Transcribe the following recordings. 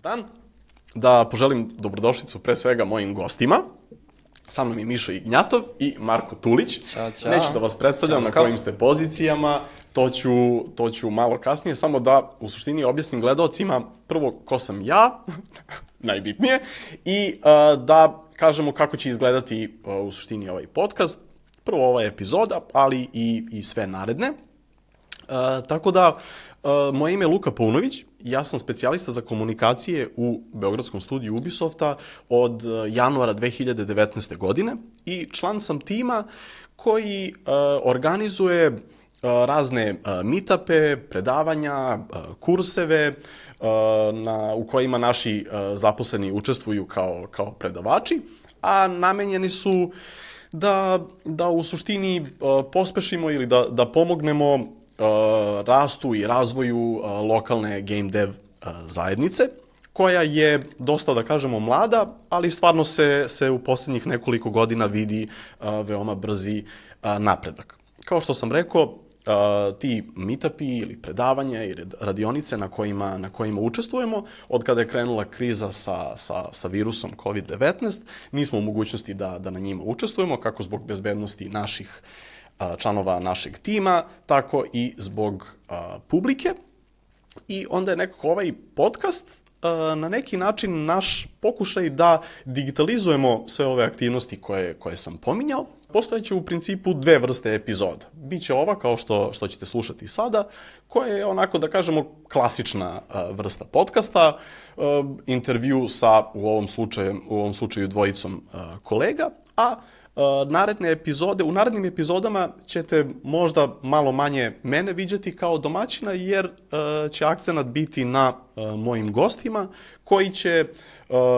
dan. Da poželim dobrodošlicu pre svega mojim gostima. Sa mnom je Mišo Ignjatov i Marko Tulić. Ćao, čao. Neću da vas predstavljam na kojim ste pozicijama, to ću malo kasnije, samo da u suštini objasnim gledaocima prvo ko sam ja, najbitnije, i da kažemo kako će izgledati u suštini ovaj podcast. Prvo ova epizoda, ali i sve naredne. Tako da, moje ime je Luka Paunović, ja sam specijalista za komunikacije u Beogradskom studiju Ubisofta od januara 2019. godine i član sam tima koji organizuje razne meetupe, predavanja, kurseve u kojima naši zaposleni učestvuju kao predavači, a namenjeni su da u suštini pospešimo ili da pomognemo rastu i razvoju lokalne game dev zajednice, koja je dosta, da kažemo, mlada, ali stvarno se u poslednjih nekoliko godina vidi veoma brzi napredak. Kao što sam rekao, ti meetupi ili predavanja i radionice na kojima učestvujemo, od kada je krenula kriza sa virusom COVID-19, nismo u mogućnosti da na njima učestvujemo, kako zbog bezbednosti naših članova našeg tima, tako i zbog publike. I onda je nekako ovaj podcast na neki način naš pokušaj da digitalizujemo sve ove aktivnosti koje sam pominjao. Postojeće u principu dve vrste epizoda. Biće ova, kao što ćete slušati sada, koja je onako, da kažemo, klasična vrsta podcasta, intervju sa, u ovom slučaju dvojicom kolega, a u narednim epizodama ćete možda malo manje mene viđati kao domaćina, jer će akcenat biti na mojim gostima, koji će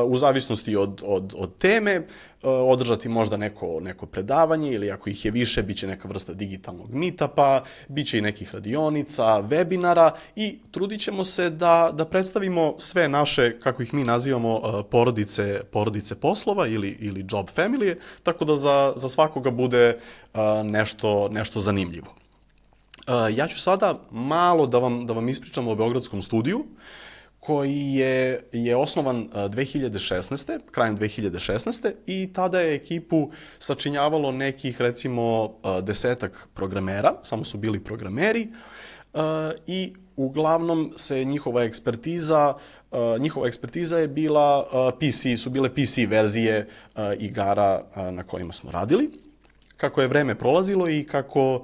u zavisnosti od teme održati možda neko predavanje, ili ako ih je više, bit će neka vrsta digitalnog meetupa, bit će i nekih radionica, webinara, i trudit ćemo se da predstavimo sve naše, kako ih mi nazivamo, porodice poslova ili job family, tako da za svakoga bude nešto zanimljivo. Ja ću sada malo da vam ispričam o Beogradskom studiju, koji je osnovan 2016. krajem 2016. i tada je ekipu sačinjavalo nekih, recimo, 10-ak programera, samo su bili programeri, i uglavnom se njihova ekspertiza je bila su bile PC verzije igara na kojima smo radili. Kako je vreme prolazilo i kako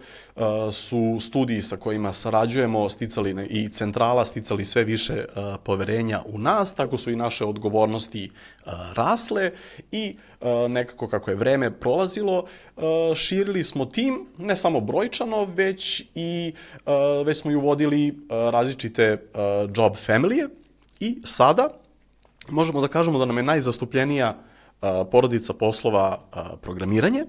su studiji sa kojima sarađujemo i centrala sticali sve više poverenja u nas, tako su i naše odgovornosti rasle i nekako kako je vreme prolazilo, širili smo tim, ne samo brojčano, već smo i uvodili različite job familije, i sada možemo da kažemo da nam je najzastupljenija porodica poslova programiranje,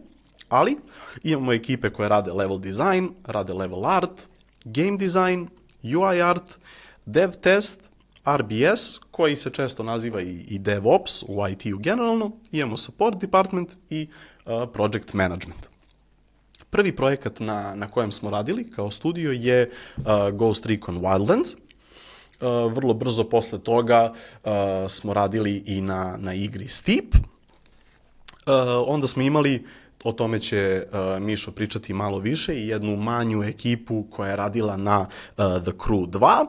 ali imamo ekipe koje rade level design, rade level art, game design, UI art, dev test, RBS, koji se često naziva i DevOps u IT-u generalno, imamo support department i project management. Prvi projekat na kojem smo radili kao studio je Ghost Recon Wildlands. Vrlo brzo posle toga smo radili i na igri Steep. Onda smo imali, o tome će Mišo pričati malo više, i jednu manju ekipu koja je radila na The Crew 2.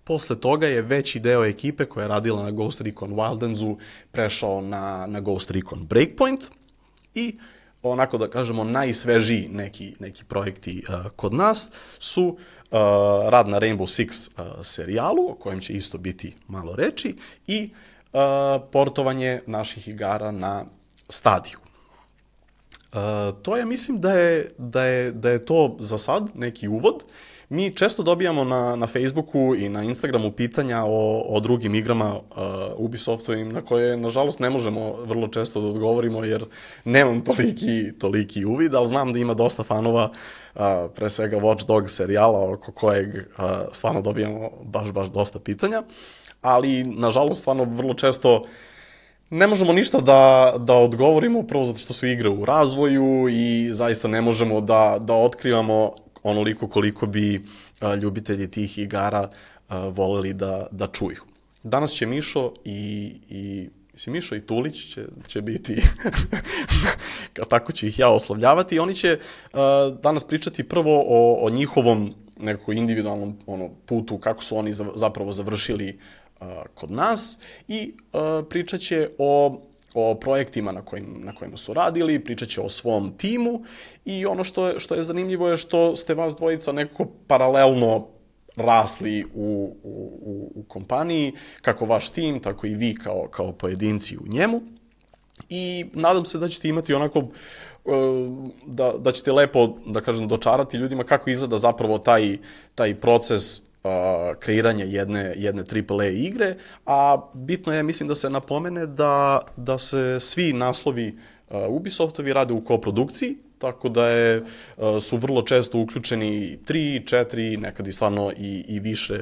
Posle toga je veći deo ekipe koja je radila na Ghost Recon Wildlandsu prešao na Ghost Recon Breakpoint, i onako, da kažemo, najsvežiji neki projekti kod nas su rad na Rainbow Six serijalu, o kojem će isto biti malo reči, i portovanje naših igara na Stadiju. To je, mislim da je to za sad neki uvod. Mi često dobijamo na Facebooku i na Instagramu pitanja o drugim igrama Ubisoftovim, na koje, nažalost, ne možemo vrlo često da odgovorimo, jer nemam toliki uvid, ali znam da ima dosta fanova, pre svega Watch Dogs serijala, oko kojeg stvarno dobijamo baš dosta pitanja, ali, nažalost, stvarno vrlo često ne možemo ništa da odgovorimo, prvo zato što su igre u razvoju i zaista ne možemo da otkrivamo onoliko koliko bi ljubitelji tih igara voleli da čuju. danas će Mišo mislim, Mišo i Tulić će biti, tako ću ih ja oslovljavati, i oni će danas pričati prvo o njihovom nekako individualnom putu, kako su oni zapravo završili kod nas, i pričat će o projektima na kojima su radili, pričat će o svom timu, i ono što je zanimljivo je što ste vas dvojica nekako paralelno rasli u kompaniji, kako vaš tim, tako i vi kao pojedinci u njemu, i nadam se da ćete imati onako, da ćete lepo, da kažem, dočarati ljudima kako izgleda zapravo taj proces kreiranja jedne AAA igre, a bitno je, mislim, da se napomene da se svi naslovi Ubisoftovi rade u koprodukciji, tako da su vrlo često uključeni 3, 4, nekad i stvarno i više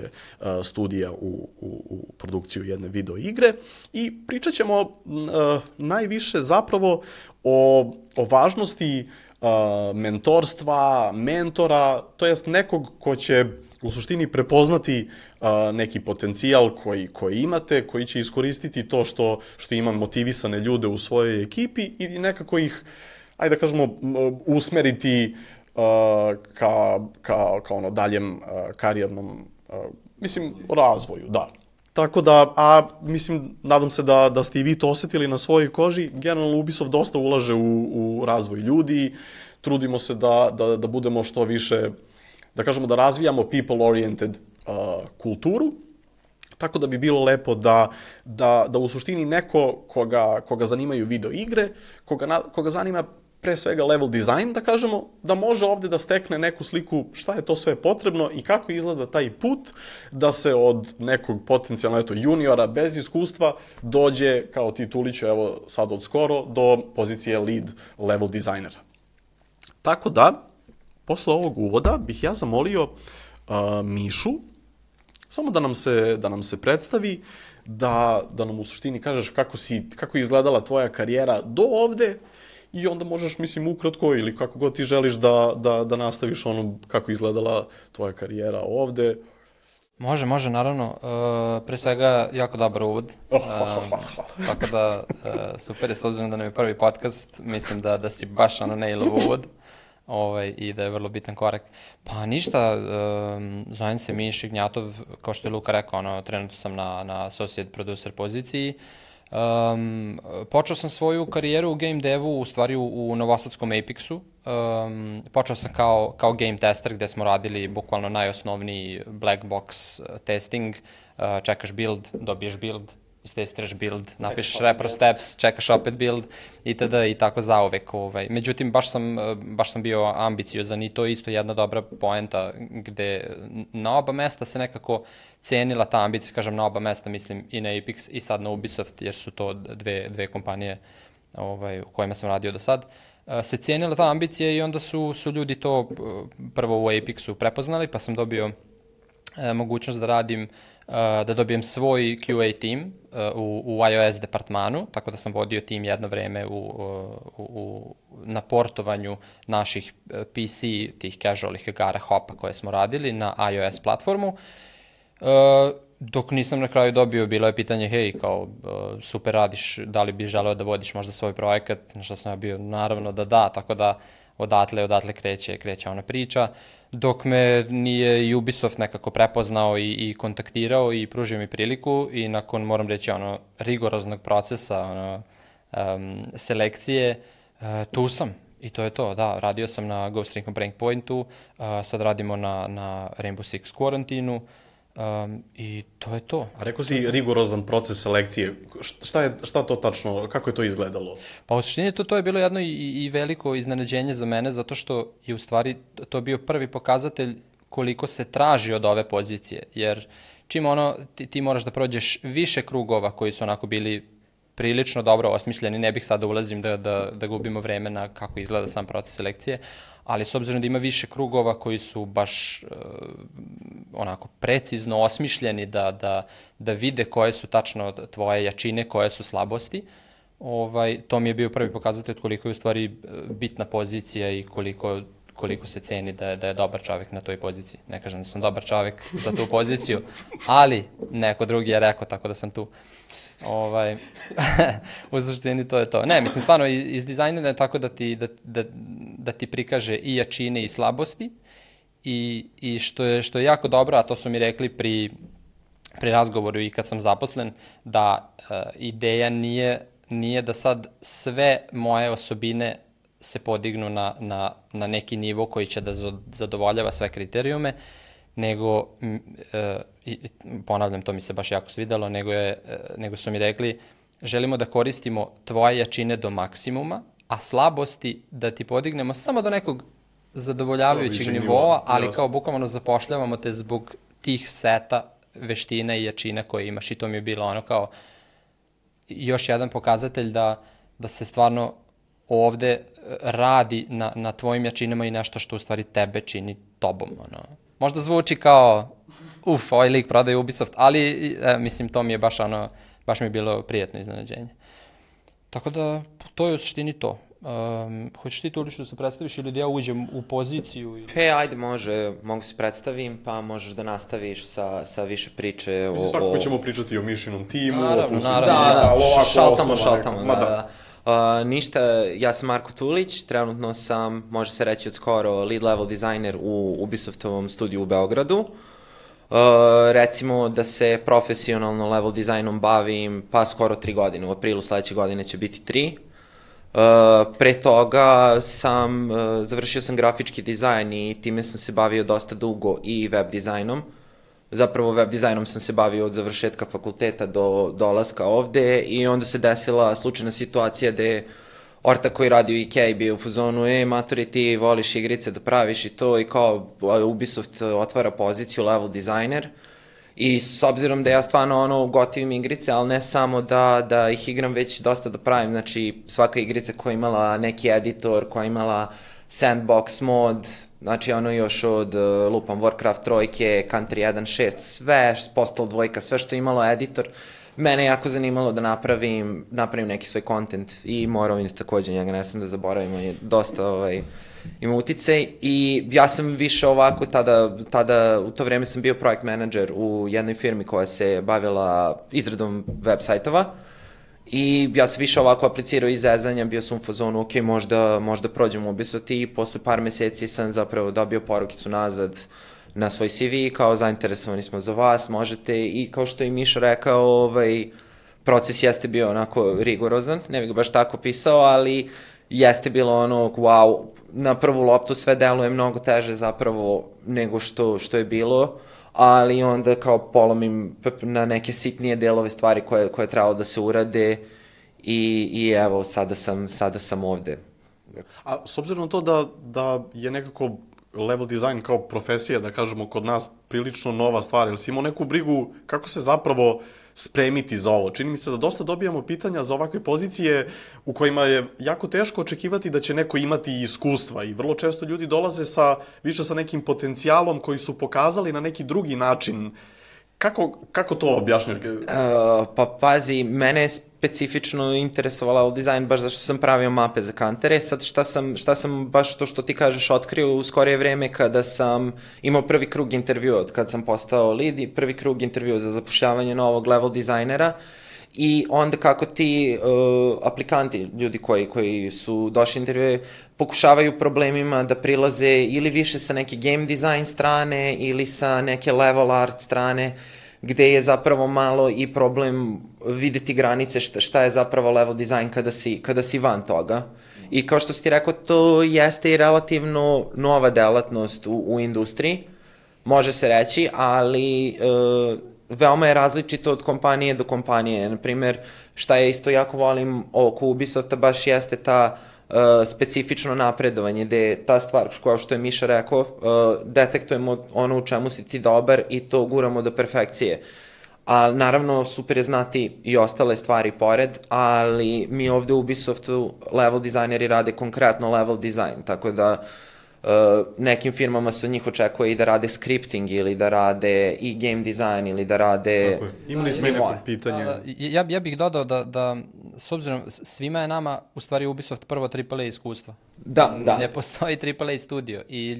studija u produkciju jedne video igre, i pričat ćemo najviše zapravo o važnosti mentorstva, mentora, to jest nekog ko će u suštini prepoznati neki potencijal koji imate, koji će iskoristiti to što ima motivisane ljude u svojoj ekipi i nekako ih, ajde da kažemo, usmeriti ka daljem karijernom, mislim, razvoju, da. Tako da, mislim, nadam se da ste i vi to osetili na svojoj koži. Generalno, Ubisoft dosta ulaže u razvoj ljudi, trudimo se da budemo što više, da kažemo, da razvijamo people-oriented kulturu, tako da bi bilo lepo da u suštini neko koga zanimaju video igre, koga zanima pre svega level design, da kažemo, da može ovde da stekne neku sliku šta je to sve potrebno i kako izgleda taj put da se od nekog potencijalno juniora bez iskustva dođe, kao ti Tuliću, evo sad od skoro, do pozicije lead level designera. Tako da, posle ovog uvoda bih ja zamolio Mišu samo da nam se predstavi, da nam u suštini kažeš kako je izgledala tvoja karijera do ovde, i onda možeš, mislim, ukratko ili kako god ti želiš da nastaviš ono kako je izgledala tvoja karijera ovde. Može, naravno. Pre svega, jako dobar uvod. Tako da, super je, s obzirom da nam je prvi podcast, mislim da si baš nailov uvod. I da je vrlo bitan korak. Pa ništa, zovem se Miša Ignjatov, kao što je Luka rekao, trenutno sam na associate producer poziciji. Počeo sam svoju karijeru u game devu, u stvari u novosadskom Apexu. Počeo sam kao game tester, gde smo radili bukvalno najosnovniji black box testing. Čekaš build, dobiješ build, istestiraš build, napišeš repro steps, čekaš opet build, itd. I tako zauvek. Međutim, baš sam bio ambiciozan, i to je isto jedna dobra poenta, gde na oba mesta se nekako cenila ta ambicija, kažem na oba mesta, mislim i na Apex i sad na Ubisoft, jer su to dve kompanije u kojima sam radio do sad. Se cenila ta ambicija i onda su ljudi to prvo u Apexu prepoznali, pa sam dobio mogućnost da dobijem svoj QA tim u iOS departmanu, tako da sam vodio tim jedno vreme na portovanju naših PC, tih casualih igara Hopa koje smo radili na iOS platformu. Dok nisam na kraju dobio, bilo je pitanje, hej, kao, super radiš, da li bi želeo da vodiš možda svoj projekat, na što sam ja bio, naravno da, tako da odatle kreće ona priča, dok me nije i Ubisoft nekako prepoznao i kontaktirao i pružio mi priliku, i nakon, moram reći, rigoroznog procesa, selekcije, tu sam. I to je to, da, radio sam na Ghost Recon Breakpointu, sad radimo na Rainbow Six Quarantinu, i to je to. A rekao si rigorozan proces selekcije, šta to tačno, kako je to izgledalo? Pa u suštini to je bilo jedno i veliko iznenađenje za mene, zato što je u stvari to bio prvi pokazatelj koliko se traži od ove pozicije, jer čim ti moraš da prođeš više krugova koji su onako bili prilično dobro osmišljeni, ne bih sad da ulazim da gubimo vreme na kako izgleda sam proces selekcije, ali s obzirom da ima više krugova koji su baš onako precizno osmišljeni da vide koje su tačno tvoje jačine, koje su slabosti, to mi je bio prvi pokazatelj koliko je u stvari bitna pozicija i koliko se ceni da je dobar čovjek na toj poziciji. Ne kažem da sam dobar čovjek za tu poziciju, ali neko drugi je rekao, tako da sam tu. U suštini to je to. Ne, mislim, stvarno iz dizajnera je tako da ti prikaže i jačine i slabosti i što je jako dobro, a to su mi rekli pri razgovoru i kad sam zaposlen, da ideja nije da sad sve moje osobine se podignu na neki nivo koji će da zadovoljava sve kriterijume, nego, ponavljam, to mi se baš jako svidelo, nego su mi rekli, želimo da koristimo tvoje jačine do maksimuma, a slabosti da ti podignemo samo do nekog zadovoljavajućeg nivoa, ali kao bukvalno zapošljavamo te zbog tih seta veština i jačina koje imaš, i to mi je bilo ono kao još jedan pokazatelj da se stvarno ovde radi na tvojim jačinama i nešto što u stvari tebe čini tobom. Možda zvuči kao, ovaj lik prodaje Ubisoft, ali mislim, to mi je baš mi je bilo prijatno iznenađenje. Tako da, to je u suštini to. Hoćeš ti to da se predstaviš ili da ja uđem u poziciju? Ajde, mogu se predstavim, pa možeš da nastaviš sa više priče o... Mislim, svakako ćemo pričati o Mišinom timu. Naravno. Da, šaltamo. Ništa, ja sam Marko Tulić, trenutno sam, može se reći od skoro, lead level dizajner u Ubisoftovom studiju u Beogradu. Recimo da se profesionalno level dizajnom bavim pa skoro 3 godine, u aprilu sledeće godine će biti 3. Pre toga završio sam grafički dizajn i time sam se bavio dosta dugo i web dizajnom. Zapravo web dizajnom sam se bavio od završetka fakulteta do dolaska ovde i onda se desila slučajna situacija gde orta koji radi u Ikea bio u fazonu, maturi, ti voliš igrice da praviš i to, i kao Ubisoft otvara poziciju level dizajner. I s obzirom da ja stvarno gotivim igrice, ali ne samo da ih igram, već dosta da pravim, znači svaka igrica koja je imala neki editor, koja je imala sandbox mod, znači još od lupam Warcraft 3, Country 1.6, sve, Postal 2, sve što je imalo editor, mene jako zanimalo da napravim neki svoj content i Morrowind takođe, njega ne sam da zaboravim, on je dosta ima uticaj i ja sam više ovako tada u to vreme sam bio projekt menadžer u jednoj firmi koja se bavila izradom web sajtova i ja sam više ovako aplicirao iz zezanja, bio sam u fazonu, ok, možda prođem u Ubisoft i posle par meseci sam zapravo dobio porukicu nazad na svoj CV kao zainteresovani smo za vas, možete, i kao što je Miša rekao, proces jeste bio onako rigorozan, ne bih ga baš tako pisao, ali jeste bilo wow, na prvu loptu sve deluje mnogo teže zapravo nego što je bilo, ali onda kao polomim na neke sitnije delove stvari koje je trebalo da se urade i evo, sada sam ovde. A s obzirom na to da je nekako level design kao profesija, da kažemo, kod nas prilično nova stvar, ili si imao neku brigu kako se zapravo spremiti za ovo? Čini mi se da dosta dobijamo pitanja za ovakve pozicije u kojima je jako teško očekivati da će neko imati iskustva i vrlo često ljudi dolaze više sa nekim potencijalom koji su pokazali na neki drugi način. Kako to objašnjati? Pa pazi, mene je specifično interesovala dizajn baš zašto sam pravio mape za kantere. Sad šta sam baš to što ti kažeš otkrio u skorije vreme kada sam imao prvi krug intervjua od kad sam postao lead i prvi krug intervjua za zapošljavanje novog level dizajnera. I onda kako ti aplikanti, ljudi koji su došli intervjue, pokušavaju problemima da prilaze ili više sa neke game design strane ili sa neke level art strane, gde je zapravo malo i problem videti granice šta je zapravo level design kada si van toga. I kao što si ti rekao, to jeste i relativno nova delatnost u industriji, može se reći, ali veoma je različito od kompanije do kompanije. Naprimer, šta ja isto jako volim oko Ubisofta baš jeste ta specifično napredovanje, gde je ta stvar, kao što je Miša rekao, detektujemo ono u čemu si ti dobar i to guramo do perfekcije. A naravno, super je znati i ostale stvari pored, ali mi ovde u Ubisoftu level dizajneri rade konkretno level dizajn, tako da nekim firmama se od njih očekuje i da rade scripting ili da rade i game design ili da rade... Tako je. Imali smo i neko pitanje. Ja bih dodao da s obzirom, svima je nama u stvari Ubisoft prvo AAA iskustvo. Da. Ne postoji AAA studio i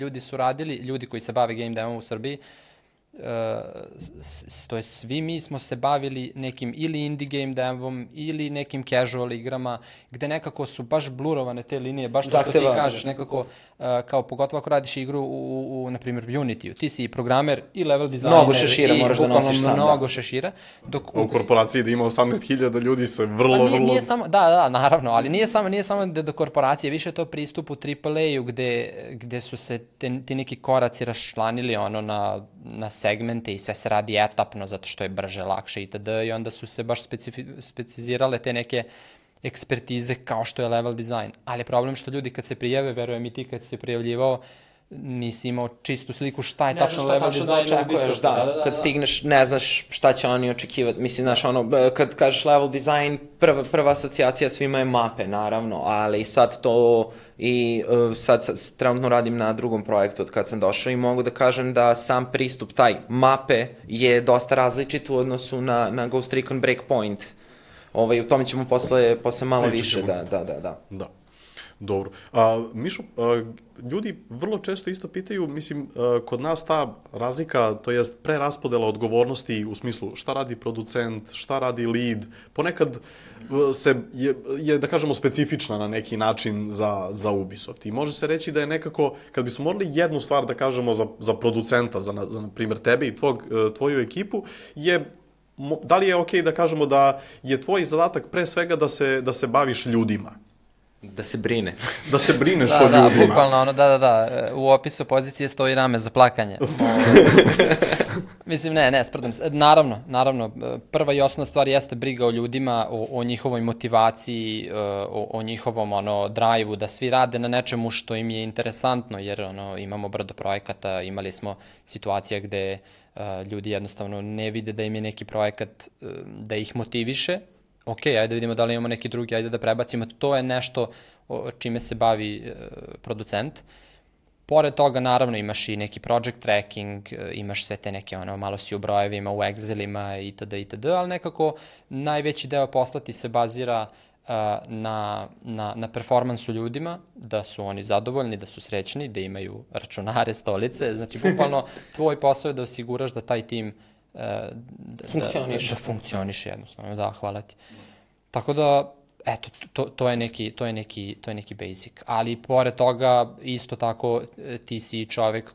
ljudi koji se bave game demom u Srbiji, to jest svi mi smo se bavili nekim ili indie game demom ili nekim casual igrama gde nekako su baš blurovane te linije, baš to što ti kažeš, nekako kao pogotovo ako radiš igru na primjer Unity-u, ti si i programer i level designer mnogo šešira moraš da nosiš sam, mnogo šešira. U korporaciji da ima 18.000 ljudi se vrlo... Nije samo, da, naravno, ali nije samo do korporacije, više je to pristup u AAA-u gde su se ti neki koraci raščlanili na segmente i sve se radi etapno zato što je brže, lakše itd. I onda su se baš specizirale te neke ekspertize kao što je level design. Ali je problem što ljudi kad se prijave, verujem i ti kad se prijavljivao, nisi imao čistu sliku šta je tačno level design. Kad stigneš, ne znaš šta će oni očekivati. Mislim, znaš, kad kažeš level design, prva asocijacija svima je mape, naravno, ali sad to i sad trenutno radim na drugom projektu od kad sam došao i mogu da kažem da sam pristup taj mape je dosta različit u odnosu na Ghost Recon Breakpoint. U tome ćemo posle malo više, da. Dobro. Mišo, ljudi vrlo često isto pitaju, mislim, kod nas ta razlika, to jest preraspodela odgovornosti u smislu šta radi producent, šta radi lead, ponekad je da kažemo, specifična na neki način za Ubisoft. I može se reći da je nekako, kad bismo morali jednu stvar da kažemo za producenta, za na primjer tebe i tvoju ekipu, da li je okej da kažemo da je tvoj zadatak pre svega da se baviš ljudima? Da se brine. Da se brineš o ljudima. Da, bukvalno, da. U opisu pozicije stoji rame za plakanje. Mislim, ne, sprdam se. Naravno, prva i osnovna stvar jeste briga o ljudima, o njihovoj motivaciji, o njihovom drive-u, da svi rade na nečemu što im je interesantno, jer imamo brdo projekata, imali smo situacija gde ljudi jednostavno ne vide da im je neki projekat da ih motiviše. Ok, ajde da vidimo da li imamo neki drugi, ajde da prebacimo. To je nešto čime se bavi producent. Pored toga, naravno, imaš i neki project tracking, imaš sve te neke, malo si u brojevima, u Excelima itd., ali nekako najveći deo posla ti se bazira na performansu ljudima, da su oni zadovoljni, da su srećni, da imaju računare, stolice. Znači, bukvalno, tvoj posao je da osiguraš da taj tim da funkcioniše jednostavno, da, hvala ti. Tako da, eto, to je neki basic. Ali pored toga, isto tako, ti si čovek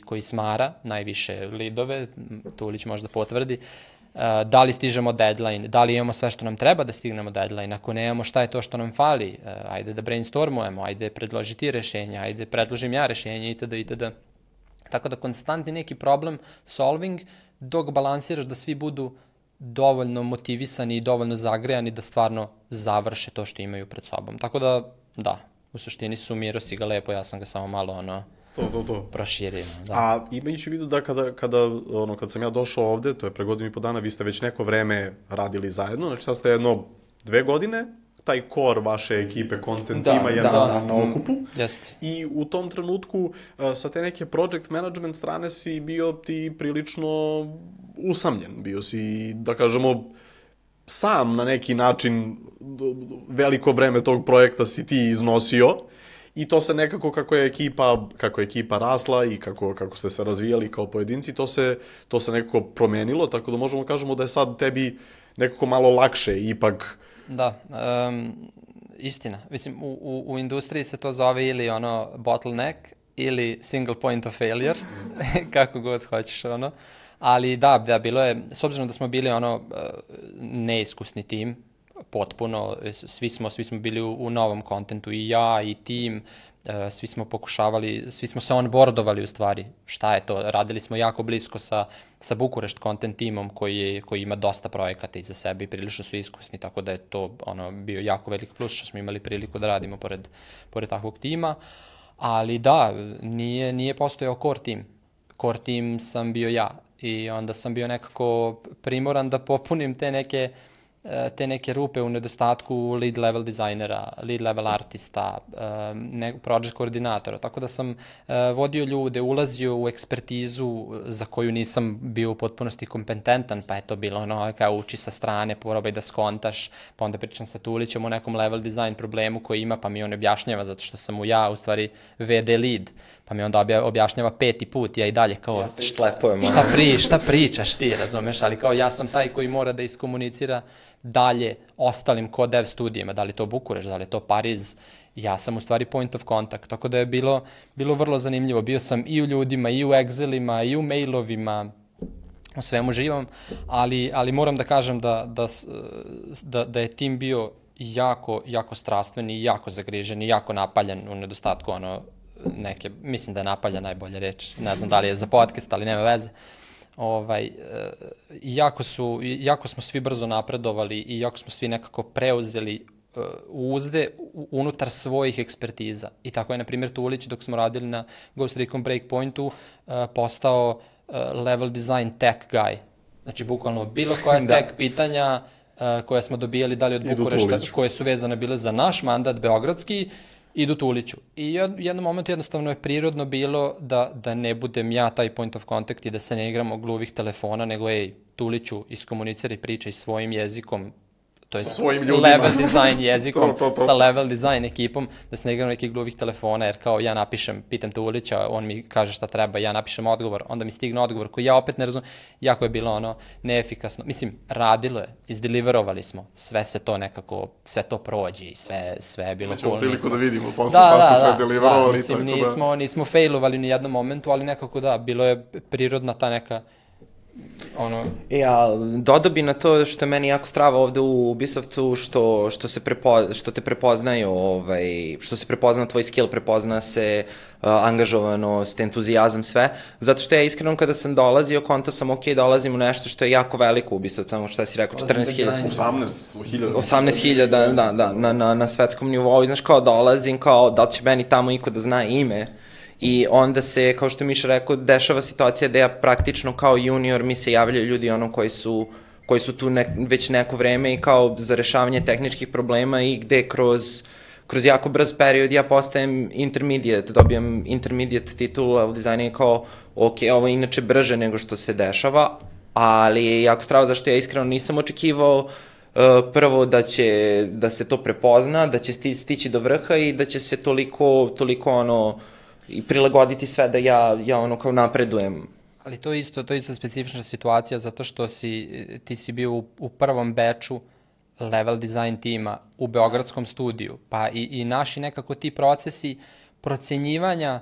koji smara najviše lidove, Tulić možda potvrdi, da li stižemo deadline, da li imamo sve što nam treba da stignemo deadline, ako nemamo šta je to što nam fali, ajde da brainstormujemo, ajde predloži ti rešenja, ajde predložim ja rešenje itd. Tako da konstantni neki problem solving dok balansiraš da svi budu dovoljno motivisani i dovoljno zagrejani da stvarno završe to što imaju pred sobom. Tako da, u suštini sumiro si ga lepo, ja sam ga samo malo proširio. Da. A imajući u vidu da kad sam ja došao ovde, to je pre 1.5 dana, vi ste već neko vreme radili zajedno, znači sad ste 2 godine, taj core vaše ekipe, content tima je na okupu. Jeste. I u tom trenutku sa te neke project management strane si bio ti prilično usamljen. Bio si, da kažemo, sam na neki način veliko breme tog projekta si ti iznosio i to se nekako kako je ekipa rasla i kako ste se razvijali kao pojedinci, to se nekako promenilo, tako da možemo kažemo da je sad tebi nekako malo lakše ipak. Da, istina. Mislim, u industriji se to zove ili bottleneck ili single point of failure, kako god hoćeš, ali da, bilo je, s obzirom da smo bili neiskusni tim, potpuno, svi smo bili u novom kontentu, i ja, i tim, svi smo se onboardovali u stvari, šta je to, radili smo jako blisko sa Bukurešt content timom koji ima dosta projekata iza sebe i prilično su iskusni, tako da je to bio jako velik plus što smo imali priliku da radimo pored takvog tima, ali da, nije postojao core team sam bio ja i onda sam bio nekako primoran da popunim te neke te neke rupe u nedostatku lead level dizajnera, lead level artista, project koordinatora, tako da sam vodio ljude, ulazio u ekspertizu za koju nisam bio u potpunosti kompetentan, pa je to bilo ono kao uči sa strane, probaj da skontaš, pa onda pričam sa Tulićem o nekom level design problemu koji ima, pa mi on objašnjava zato što sam mu ja u stvari VD lead, pa mi onda objašnjava 5. put, ja i dalje kao šta pričaš ti, razumeš, ali kao ja sam taj koji mora da iskomunicira dalje ostalim kod dev studijima, da li to Bukurešt, da li to Pariz, ja sam u stvari point of contact, tako da je bilo vrlo zanimljivo, bio sam i u ljudima, i u Excelima, i u mailovima, u svemu živom, ali moram da kažem da je tim bio jako strastven i jako zagrižen i jako napaljan u nedostatku neke, mislim da je napaljan najbolja reč, ne znam da li je za podcast, ali nema veze. Jako smo svi brzo napredovali i jako smo svi nekako preuzeli uzde unutar svojih ekspertiza. I tako je, na primjer, Tulić, dok smo radili na Ghost Recon Breakpointu, postao level design tech guy. Znači, bukvalno bilo koje tech pitanja koje smo dobijali, da li od Bukurešta, koje su vezane bile za naš mandat beogradski, idu Tuliću. I u jednom momentu jednostavno je prirodno bilo da ne budem ja taj point of contact i da se ne igramo gluvih telefona, nego Tuliću, iskomuniciraj, pričaj svojim jezikom, to je level design jezikom, sa level design ekipom, da se ne igram nekih gluvih telefona, jer kao ja napišem, pitam Tulića, on mi kaže šta treba, ja napišem odgovor, onda mi stigne odgovor koji ja opet ne razumem, jako je bilo neefikasno. Mislim, radilo je, izdeliverovali smo, sve se to nekako, sve to prođe i sve je bilo cool. Nećemo priliku da vidimo posle šta ste sve deliverovali. Mislim, nismo failovali ni jednom momentu, ali nekako da, bilo je prirodna ta neka dodao bi na to što je meni jako strava ovde u Ubisoftu, što te prepoznaju, što se prepozna tvoj skill, prepozna se angažovanost, entuzijazam, sve, zato što ja iskreno kada sam dolazio, konto sam dolazim u nešto što je jako veliko u Ubisoftu, tamo šta si rekao, 14.000. 18.000, na svetskom nivou, znaš, kao dolazim, kao da li će meni tamo iko da zna ime. I onda se, kao što Miša rekao, dešava situacija da ja praktično kao junior mi se javljaju ljudi koji su tu već neko vreme i kao za rešavanje tehničkih problema i gde kroz jako brz period ja postajem intermediate, dobijam intermediate titul u dizajnu i kao, ok, ovo je inače brže nego što se dešava, ali je jako strava zašto ja iskreno nisam očekivao prvo da se to prepozna, da će stići do vrha i da će se toliko i prilagoditi sve da ja kao napredujem. Ali to je isto specifična situacija zato što ti si bio u prvom beču level design tima u beogradskom studiju, pa i naši nekako ti procesi procenjivanja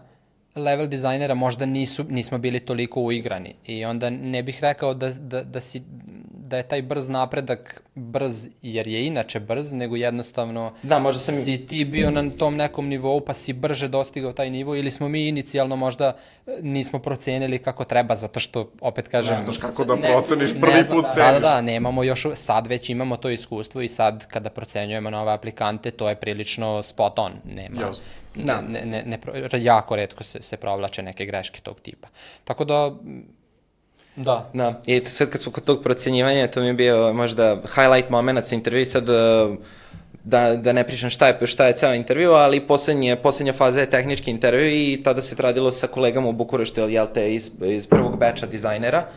level dizajnera možda nismo bili toliko uigrani i onda ne bih rekao da je taj brz napredak brz jer je inače brz, nego jednostavno si ti bio na tom nekom nivou pa si brže dostigao taj nivo ili smo mi inicijalno možda nismo procenili kako treba, zato što opet kažem... Ne znaš kako da proceniš, prvi put ceniš. Da, nemamo još, sad već imamo to iskustvo i sad kada procenjujemo nove aplikante to je prilično spot on, nema... jako retko se provlače neke greške tog tipa. Tako da... Da, i sad kad smo kod tog procenjivanja, to mi je bio možda highlight moment sa intervju, sad da ne pričam šta je ceo intervju, ali poslednja faza je tehnički intervju i tada se radilo sa kolegama u Bukureštu, iz prvog beča dizajnera.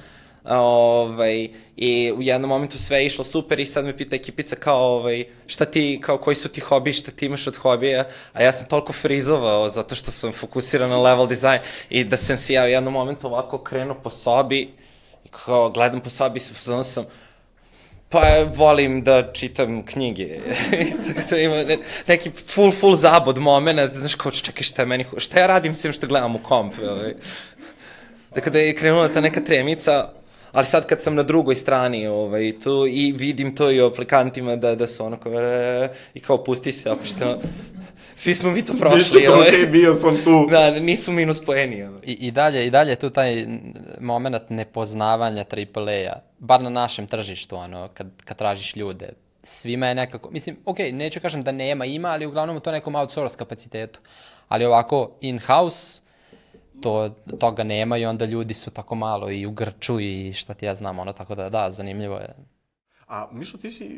I u jednom momentu sve je išlo super i sad me pita ekipica kao šta ti, kao koji su ti hobi, šta ti imaš od hobija, a ja sam toliko frizovao zato što sam fokusiran na level design i da sam se ja u jednom momentu ovako krenuo po sobi i kao gledam po sobi i sam pa volim da čitam knjige. Tako sam imao neki full zabod moment, znaš kao čekaj šta ja radim sem što gledam u komp. Tako da je krenula ta neka tremica, ali sad kad sam na drugoj strani tu i vidim to i u aplikantima da su i kao pusti se, opet što svi smo mi to prošli. Ništa okej, bio sam tu. Da, nisu minus poeni. I dalje tu taj moment nepoznavanja AAA-a, bar na našem tržištu, kad tražiš ljude. Svima je nekako, mislim, okej, neću kažem da ima, ali uglavnom u to nekom outsource kapacitetu. Ali ovako in-house, toga nema i onda ljudi su tako malo i u grču i šta ti ja znam, tako da, zanimljivo je. A Mišo,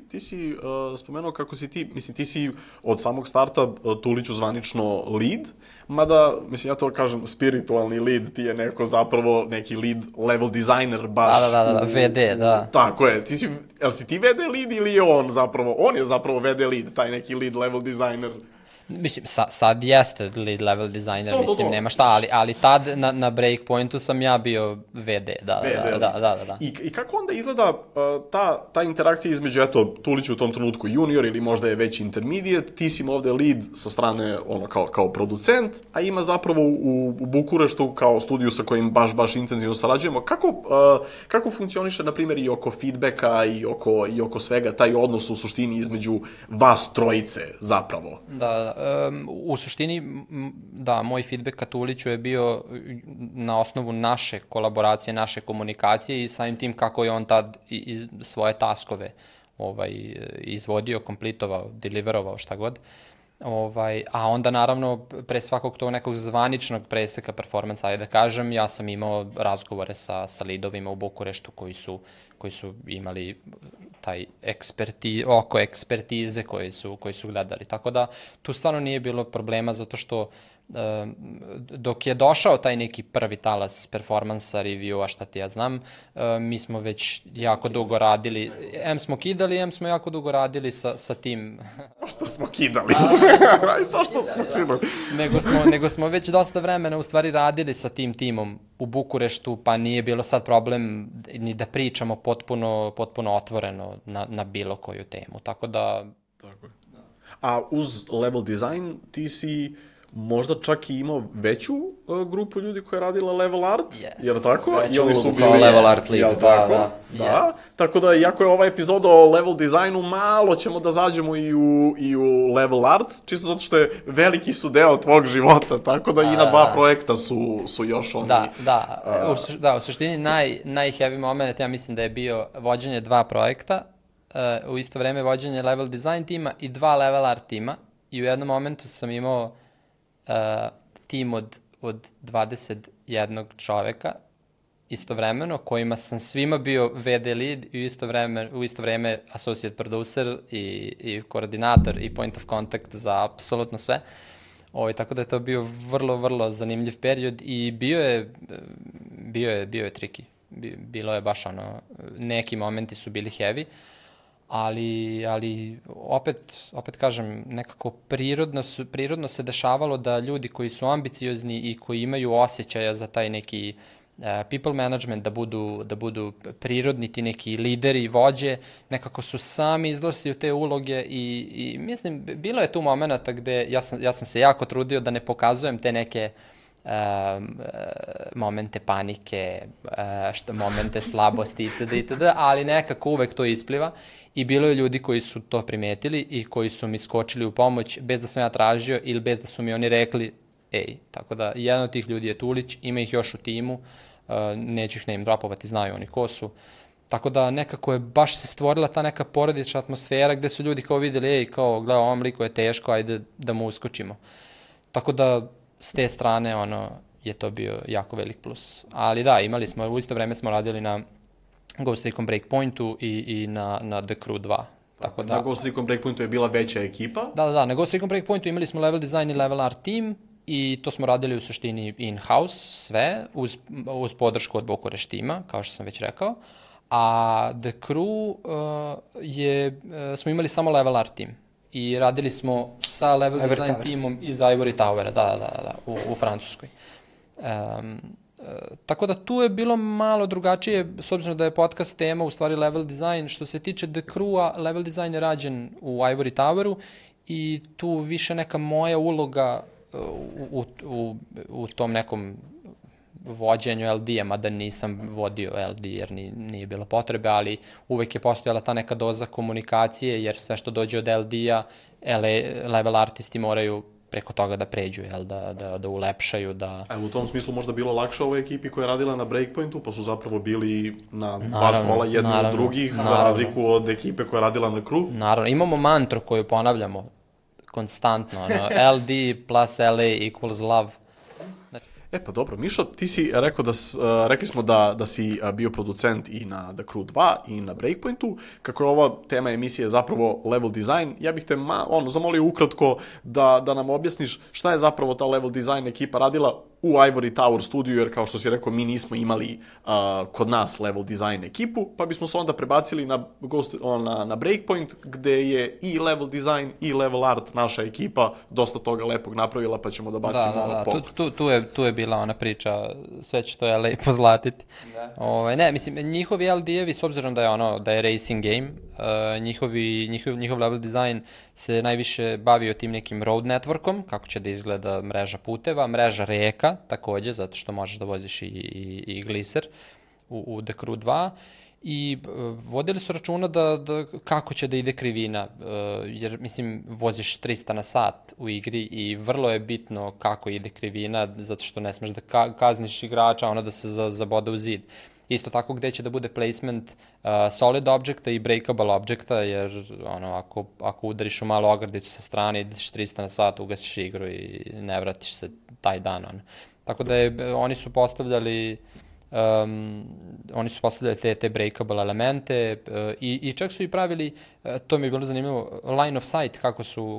ti si spomenuo kako si ti si od samog starta Tuliću zvanično lead, mada, mislim, ja to kažem, spiritualni lead, ti je neko zapravo neki lead level designer baš. Da, VD, da. Tako je, jel si ti VD lead ili je on je zapravo VD lead, taj neki lead level designer? Mislim, sad jeste lead level designer, mislim, nema šta, ali tad na Breakpointu sam ja bio VD, da. I kako onda izgleda ta interakcija između, eto, Tulić u tom trenutku junior ili možda je već intermediate, ti si ovde lead sa strane, kao producent, a ima zapravo u Bukureštu kao studiju sa kojim baš intenzivno sarađujemo. Kako funkcioniše, na primjer, i oko feedbacka i oko svega, taj odnos u suštini između vas trojice zapravo? Da. U suštini, da, moj feedback ka Tuliću je bio na osnovu naše kolaboracije, naše komunikacije i samim tim kako je on tad svoje taskove izvodio, komplitovao, deliverovao, šta god. A onda naravno pre svakog tog nekog zvaničnog preseka performansa, ajde da kažem, ja sam imao razgovore sa lidovima u Bukureštu koji su imali taj oko ekspertize koji su gledali. Tako da tu stvarno nije bilo problema zato što dok je došao taj neki prvi talas performansa, review-a, šta ti ja znam, mi smo već jako dugo radili, smo kidali, smo jako dugo radili sa tim. Što smo kidali? Što smo kidali? Nego smo već dosta vremena u stvari radili sa tim timom u Bukureštu, pa nije bilo sad problem ni da pričamo potpuno otvoreno na bilo koju temu, tako da... Tako je. A uz level design ti si možda čak i imao veću grupu ljudi koja je radila level art, jer tako? I oni su bili level art lead, da. Tako da, iako je ova epizoda o level designu, malo ćemo da zađemo i u level art, čisto zato što je veliki su deo tvog života, tako da i na dva projekta su još oni... Da, u suštini najheavy moment, ja mislim da je bio vođenje dva projekta, u isto vreme vođenje level design tima i dva level art tima, i u jednom momentu sam imao tim od 21 čoveka istovremeno, kojima sam svima bio VD lead i u isto vreme associate producer i koordinator i point of contact za apsolutno sve. Tako da je to bio vrlo, vrlo zanimljiv period i bio je tricky. Bilo je baš neki momenti su bili heavy, ali opet kažem, nekako prirodno se dešavalo da ljudi koji su ambiciozni i koji imaju osjećaja za taj neki people management, da budu prirodni ti neki lideri i vođe, nekako su sami izlasili u te uloge i mislim, bilo je tu momenta gde ja sam se jako trudio da ne pokazujem te neke momente panike, momente slabosti itd., ali nekako uvek to ispliva i bilo je ljudi koji su to primetili i koji su mi skočili u pomoć bez da sam ja tražio ili bez da su mi oni rekli tako da jedan od tih ljudi je Tulić, ima ih još u timu, neću ih name dropovati, znaju oni ko su, tako da nekako je baš se stvorila ta neka porodična atmosfera gde su ljudi kao videli, kao gledaj, ovom liku je teško, ajde da mu uskočimo. Tako da s te strane je to bio jako velik plus. Ali da, imali smo, u isto vreme smo radili na Ghost Recon Breakpointu i na The Crew 2. Tako da, na Ghost Recon Breakpointu je bila veća ekipa? Da, na Ghost Recon Breakpointu imali smo level design i level art team i to smo radili u suštini in-house sve, uz podršku od Bukurešt tima, kao što sam već rekao. A The Crew smo imali samo level art team. I radili smo sa level design timom iz Ivory Towera, da, u Francuskoj. Tako da tu je bilo malo drugačije, s obzirom da je podcast tema u stvari level design. Što se tiče The Crew-a, level design je rađen u Ivory Toweru i tu više neka moja uloga u tom nekom vođenju LD-a, mada nisam vodio LD jer nije bilo potrebe, ali uvek je postojala ta neka doza komunikacije, jer sve što dođe od LD-a, level artisti moraju preko toga da pređu, da ulepšaju, da... U tom smislu možda bilo lakše ovoj ekipi koja je radila na Breakpointu, pa su zapravo bili na dva stola jedni od drugih, za razliku od ekipe koja je radila na Crew. Naravno, imamo mantru koju ponavljamo konstantno, LD plus LA equals love. Pa dobro, Mišo, ti si rekao rekli smo da si bio producent i na The Crew 2 i na Breakpointu. Kako je ova tema emisije zapravo level design, ja bih te zamolio ukratko da nam objasniš šta je zapravo ta level design ekipa radila u Ivory Tower studiju, jer kao što si rekao, mi nismo imali kod nas level design ekipu, pa bismo se onda prebacili na Breakpoint, gde je i level design i level art naša ekipa dosta toga lepog napravila, pa ćemo da bacimo pogled. Tu je bila ona priča, sve će to lepo zlatiti. Ne, mislim, njihovi LD-evi, s obzirom da je racing game, njihov level design se najviše bavio tim nekim road networkom, kako će da izgleda mreža puteva, mreža reka, takođe, zato što možeš da voziš i gliser u The Crew 2, i vodili su računa kako će da ide krivina, jer, mislim, voziš 300 na sat u igri i vrlo je bitno kako ide krivina, zato što ne smeš da kazniš igrača, da se zabode u zid. Isto tako gde će da bude placement solid objecta i breakable objecta, jer ako udariš u malu ogradicu sa strane, ideš 300 na sat, ugasiš igru i ne vratiš se taj dan. Tako da oni su postavljali te breakable elemente i čak su i pravili, to mi je bilo zanimljivo, line of sight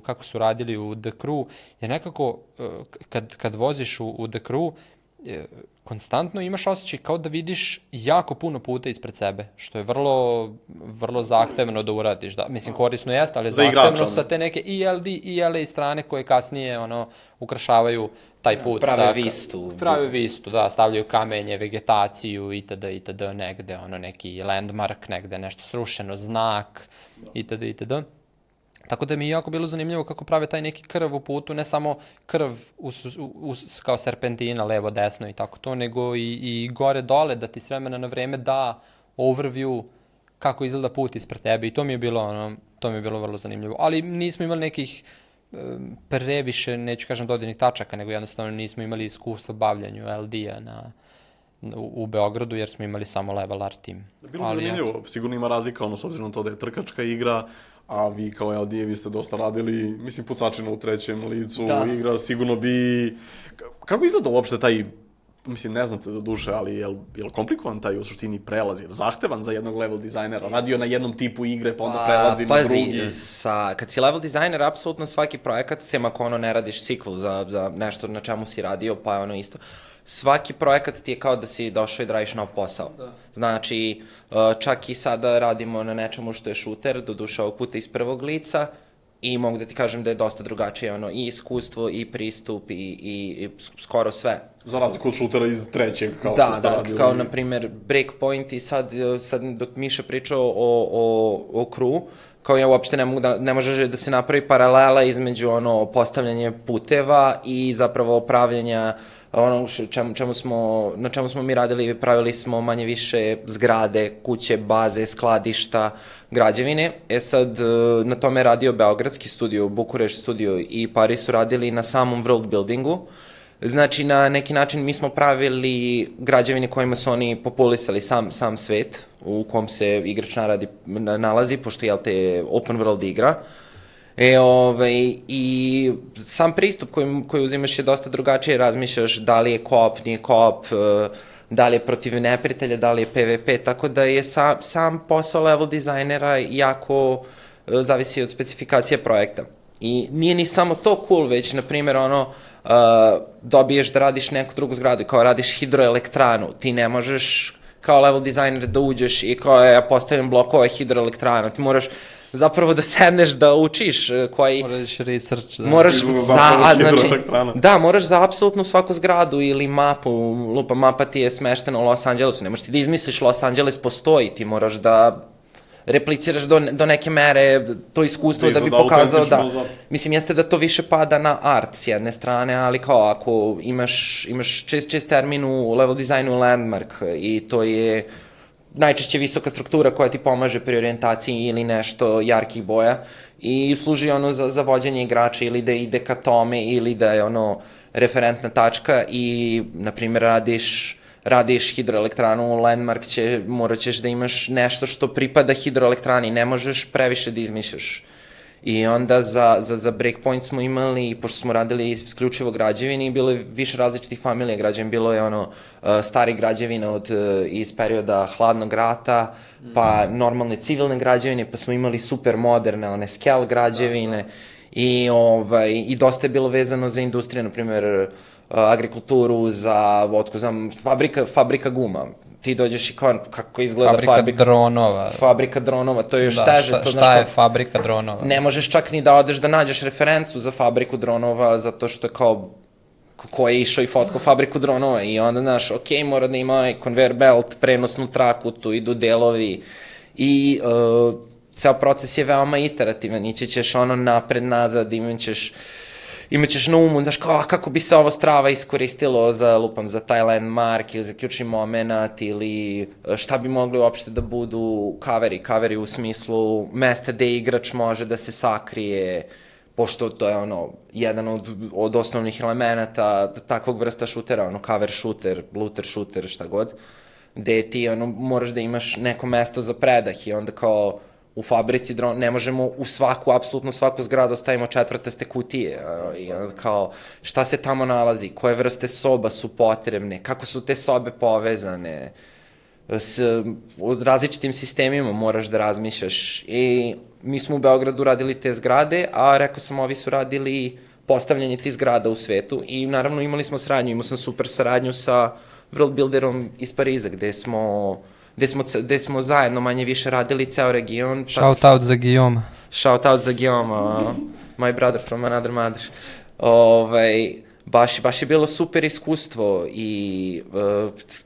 kako su radili u The Crew, jer nekako kad voziš u The Crew, konstantno imaš osjećaj kao da vidiš jako puno puta ispred sebe, što je vrlo, vrlo zahtevno da uradiš. Mislim, korisno jeste, ali je zahtevno sa te neke i LD i LA strane koje kasnije ukrašavaju taj put. Prave vistu, da, stavljaju kamenje, vegetaciju itd. Negde, neki landmark, negde nešto srušeno, znak itd. Tako da mi je jako bilo zanimljivo kako prave taj neki krv u putu, ne samo krv kao serpentina, levo, desno i tako to, nego i gore-dole, da ti s vremena na vreme da overview kako izgleda put ispred tebe, i to mi je bilo vrlo zanimljivo. Ali nismo imali nekih previše, neću kažem dodirnih tačaka, nego jednostavno nismo imali iskustva bavljanju LD-a u Beogradu, jer smo imali samo level art tim. Bilo bi zanimljivo, sigurno ima razlika, s obzirom na to da je trkačka igra, a vi kao LD-evi ste dosta radili, mislim, pucačina u trećem licu, igra, sigurno bi... Kako izgleda uopšte taj, mislim, ne znate do duše, ali je li komplikovan taj u suštini prelaz, jer zahtevan za jednog level dizajnera, radio na jednom tipu igre, pa onda prelazi na drugi? Kad si level dizajner, apsolutno svaki projekat, sem ako ne radiš sequel za nešto na čemu si radio, pa je isto... Svaki projekat ti je kao da si došao i da radiš nov posao. Znači, čak i sada radimo na nečemu što je šuter, doduše ovog puta iz prvog lica, i mogu da ti kažem da je dosta drugačije i iskustvo, i pristup, i skoro sve. Za razliku od šutera iz trećeg, kao što ste radili. Da, kao na primer Breakpoint, i sad dok Miša pričao o Crew, kao ja uopšte ne može da se napravi paralela između postavljanje puteva i zapravo pravljenja na čemu smo mi radili, pravili smo manje više zgrade, kuće, baze, skladišta, građevine. Sad, na tome je radio Beogradski studio, Bukurešt studio i Paris su radili na samom world buildingu. Znači, na neki način mi smo pravili građevine kojima su oni populisali sam svet u kom se igrač nalazi, pošto je open world igra. I sam pristup koji uzimaš je dosta drugačije, razmišljaš da li je co-op, nije co-op, da li je protiv neprijatelja, da li je PvP, tako da je sam posao level dizajnera jako zavisi od specifikacije projekta. I nije ni samo to cool, već, na primjer, dobiješ da radiš neku drugu zgradu, kao radiš hidroelektranu, ti ne možeš kao level dizajner da uđeš i kao ja postavim blokove hidroelektranu, ti moraš zapravo da sedneš da učiš koji... Moraš research. Moraš za apsolutno svaku zgradu ili mapu, mapa ti je smeštena u Los Angelesu, ne možeš ti da izmisliš Los Angeles postoji, ti moraš da repliciraš do neke mere to iskustvo da bi pokazao da... Mislim, jeste da to više pada na art s jedne strane, ali kao ako imaš čest termin u level dizajnu landmark i to je najčešće visoka struktura koja ti pomaže pri orijentaciji ili nešto jarkih boja i služi za vođenje igrača ili da ide ka tome ili da je referentna tačka i, na primjer, radiš hidroelektranu, landmark morat ćeš da imaš nešto što pripada hidroelektrani, ne možeš previše da izmišljaš. I onda za Breakpoint smo imali, pošto smo radili isključivo građevini, bilo je više različitih familija građevina, bilo je stari građevina iz perioda hladnog rata, pa normalne civilne građevine, pa smo imali super moderne, one scale građevine i dosta je bilo vezano za industriju, na primjer agrikulturu, za, fabrika guma. Ti dođeš i kao, kako izgleda fabrika dronova. Fabrika dronova, to je još teže. Šta je fabrika dronova? Ne možeš čak ni da odeš da nađeš referencu za fabriku dronova, zato što je kao, ko je išao i fotkao fabriku dronova i onda, znaš, mora da ima conveyor belt, prenosnu traku, tu idu delovi i ceo proces je veoma iterativan, ići ćeš napred, nazad, imaćeš na umu, znaš, kako bi se ovo strava iskoristilo za taj landmark ili za ključni moment ili šta bi mogli uopšte da budu kaveri u smislu mesta gde igrač može da se sakrije, pošto to je jedan od osnovnih elemenata takvog vrsta šutera, cover shooter, looter shooter, šta god, gde ti moraš da imaš neko mesto za predah i onda kao u fabrici drona, ne možemo u apsolutno svaku zgradu stavimo četvrtaste kutije, i kao šta se tamo nalazi, koje vrste soba su potrebne, kako su te sobe povezane, s različitim sistemima moraš da razmišljaš i mi smo u Beogradu radili te zgrade, a rekao sam, ovi su radili postavljanje tih zgrada u svetu i naravno imali smo saradnju, imao sam super saradnju sa World Builderom iz Pariza, gde smo zajedno manje više radili ceo region. Shout out za Guillaume. Shout out za Guillaume, my brother from another mother. Baš je bilo super iskustvo i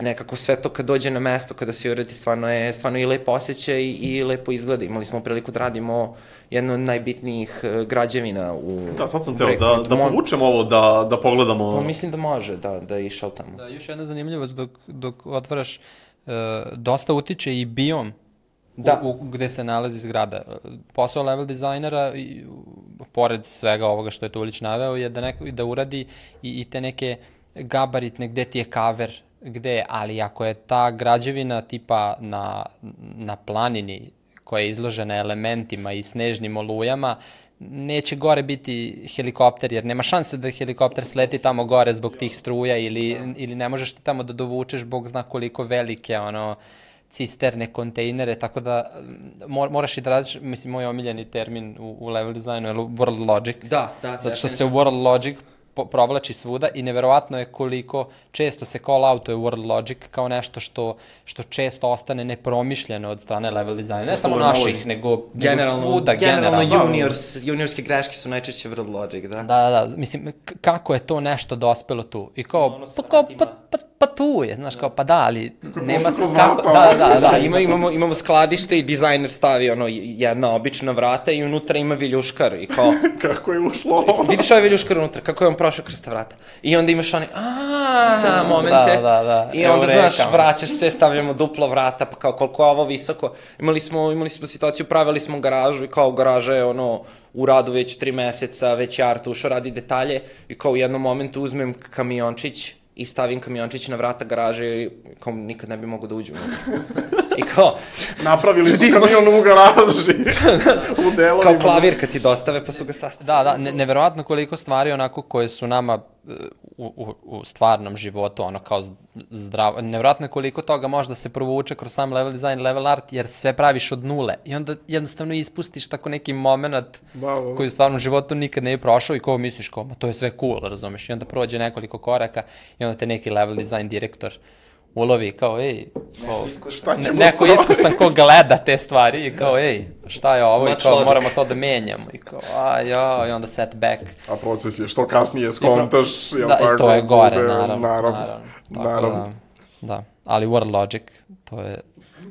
nekako sve to kad dođe na mesto, kada se uradi, stvarno i lepo osjećaj i lepo izgleda. Imali smo priliku da radimo jednu od najbitnijih građevina u... Da, sad sam teo da povučem ovo, da pogledamo... Mislim da može, da je išao tamo. Da, još jedna zanimljivost dok otvaraš, dosta utiče i biom gde se nalazi zgrada. Posao level dizajnera, pored svega ovoga što je Tulić naveo, je da uradi i te neke gabaritne, gde ti je kaver, ali ako je ta građevina tipa na planini koja je izložena elementima i snežnim olujama, neće gore biti helikopter, jer nema šanse da helikopter sleti tamo gore zbog tih struja ili ne možeš ti tamo da dovučeš bog zna koliko velike cisterne, kontejnere, tako da moraš i da razliš, mislim, moj omiljeni termin u level designu je World Logic. Da. Zato što se World Logic provlači svuda i neverovatno je koliko često se call outuje World Logic kao nešto što često ostane nepromišljeno od strane level dizajna. Ne samo naših, nego svuda, generalno. Juniorske greške su najčešće World Logic, da? Da, mislim, kako je to nešto dospelo tu? I kao, pa tu je, znaš, kao, pa da, ali nema se kako... Da, imamo skladište i dizajner stavi jedna obična vrata i unutra ima viljuškar i kao... Kako je ušlo? Vidiš ovaj viljuškar unutra, kako je on prošao kroz ta vrata. I onda imaš momente. Da. I onda, znaš, vraćaš se, stavljamo duplo vrata, pa kao koliko je ovo visoko. Imali smo situaciju, pravili smo garažu i kao garaža je u radu već 3 meseca, već je art ušao, radi detalje i kao u jednom momentu uzmem kamiončić i stavim kamiončić na vrata garaže i kao nikad ne bi mogo da uđu. I kao... Napravili su kamion u garaži. U delovima. Kao klavir kad ti dostave pa su ga sastavili. Da, neverovatno koliko stvari onako koje su nama u stvarnom životu, kao zdravo, neverovatno koliko toga može da se provuče kroz sam level design, level art, jer sve praviš od nule i onda jednostavno ispustiš tako neki moment koji u stvarnom životu nikad ne je prošao i kao misliš kao, to je sve cool, razumeš, i onda prođe nekoliko koraka i onda te neki level design direktor ulovi kao, neko iskusan ko gleda te stvari i kao, šta je ovo i kao, moramo to da menjamo i kao, i onda setback. A proces je što kasnije skontaš, jel tako? Da, i to je gore, naravno. Da, ali World Logic, to je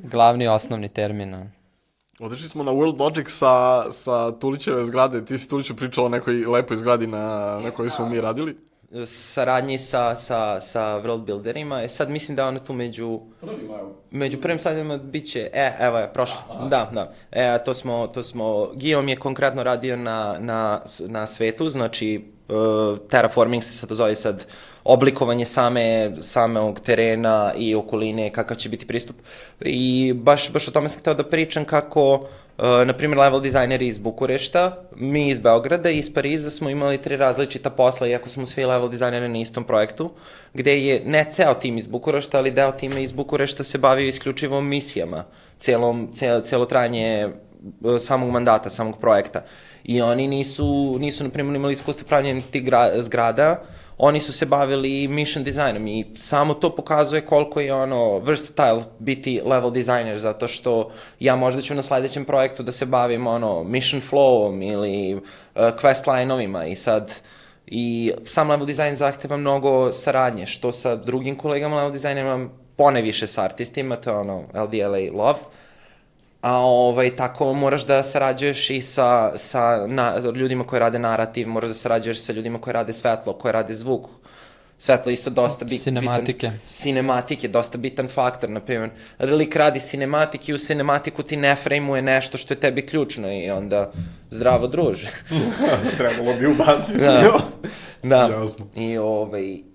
glavni osnovni termin. Otišli smo na World Logic sa Tulićeve zgrade, ti si Tuliću pričao o nekoj lepoj zgradi na kojoj smo mi radili. Saradnji sa World Builderima, sad mislim da ono tu među prvim sadima bit će, evo je, prošlo, da, to smo, Guillaume je konkretno radio na svetu, znači terraforming se sad zove sad, oblikovanje samog terena i okoline, kakav će biti pristup. I baš o tome sam hteo da pričam kako, na primjer, level dizajneri iz Bukurešta, mi iz Beograda i iz Pariza smo imali 3 različita posla, iako smo svi level dizajneri na istom projektu, gde je ne ceo tim iz Bukurešta, ali deo tima iz Bukurešta se bavio isključivo misijama, celo trajanje samog mandata, samog projekta. I oni nisu na primjer, imali iskustva pravljenja tih zgrada, oni su se bavili mission dizajnom i samo to pokazuje koliko je versatile biti level dizajner, zato što ja možda ću na sledećem projektu da se bavim mission flowom ili quest line-ovima i sam level dizajn zahteva mnogo saradnje, što sa drugim kolegama level dizajnerima, poneviše sa artistima, to je LDLA love, a tako moraš da sarađuješ i sa ljudima koji rade narativ, moraš da sarađuješ sa ljudima koji rade svetlo, koji rade zvuk. Svetlo isto dosta bitan. Cinematike, dosta bitan faktor, na primjer. Lik radi cinematik i u cinematiku ti ne frame-uje nešto što je tebi ključno i onda zdravo druže. Trebalo bi ubaciti. Da. Jasno.